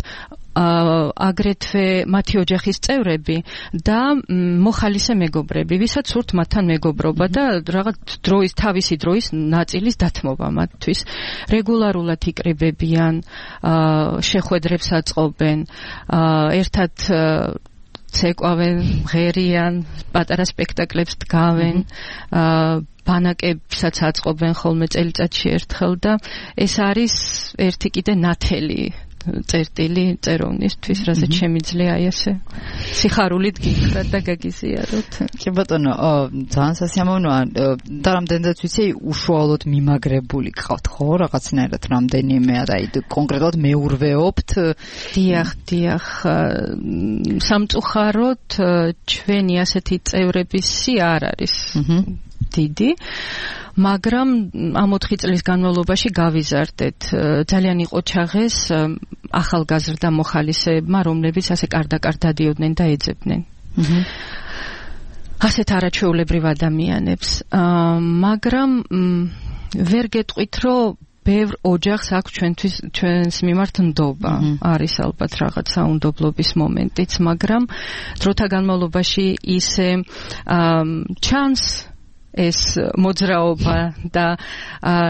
აგრეთვე მათი ოჯახის წევრები და მოხალისე მეგობრები, ვისაც სურთ მათთან მეგობრობა და რაღაც თავისი დროის ნაწილის დათმობა მათთვის. რეგულარულად იკრიბებიან, შეხვედრებს აწყობენ, ერთად ცეკვავენ, ღერიან, პატარა სპექტაკლებს დგავენ, ბანაკებსაც აწყობენ ხოლმე წელიწადში ერთხელ და ეს არის ერთი კიდე ნათელი წერტილი წეროვნისთვის, რასაც შემიძლია აი ესე სიხარულით გითხრათ და გაგიზიაროთ. კი ბატონო, ძალიან სასიამოვნოა და რამდენადაც ვიცი, უშუალოდ მიმაგრებული გყავთ ხო რაღაცნაირად რამდენიმე, აი კონკრეტულად მეურვეობთ? დიახ, სამწუხაროდ ჩვენი ასეთი წევრების სია არ არის დიდი, მაგრამ ამ 4 წლის განმავლობაში გავიზარდეთ. ძალიან იყო ჩაღეს ახალგაზრდა მოხალისეებმა, რომლებიც ასე კარდაკარ დადიოდნენ და ეძებდნენ. ასეთ არაჩვეულებრივ ადამიანებს. მაგრამ ვერ გეტყვით, რომ ბევრ ოჯახს აქვს ჩვენს მიმართ ნდობა. არის ალბათ რაღაცა უნდობლობის მომენტიც, მაგრამ დროთა განმავლობაში ისე ჩანს ეს მოძრაობა და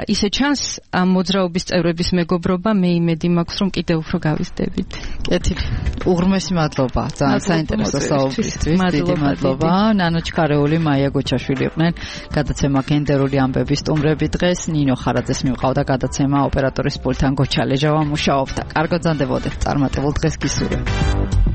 ისე ჩანს ამ მოძრაობის წევრების მეგობრობა მე იმედი მაქვს რომ კიდევ უფრო გავიზრდებით. კეთილი. უღრმესი მადლობა. ძალიან საინტერესო საუბრისთვის. დიდი მადლობა. ნანო ჩქარეული, მაია გოჩაშვილი იყვნენ გადაცემა გენდერული ამბების სტუმრები დღეს. ნინო ხარაძეს მივყავდა გადაცემა ოპერატორის პულტთან გოჩა ლეჟავა მუშაობდა. კარგად ზანდებოდეთ. წარმატებულ დღეს გისურვებთ.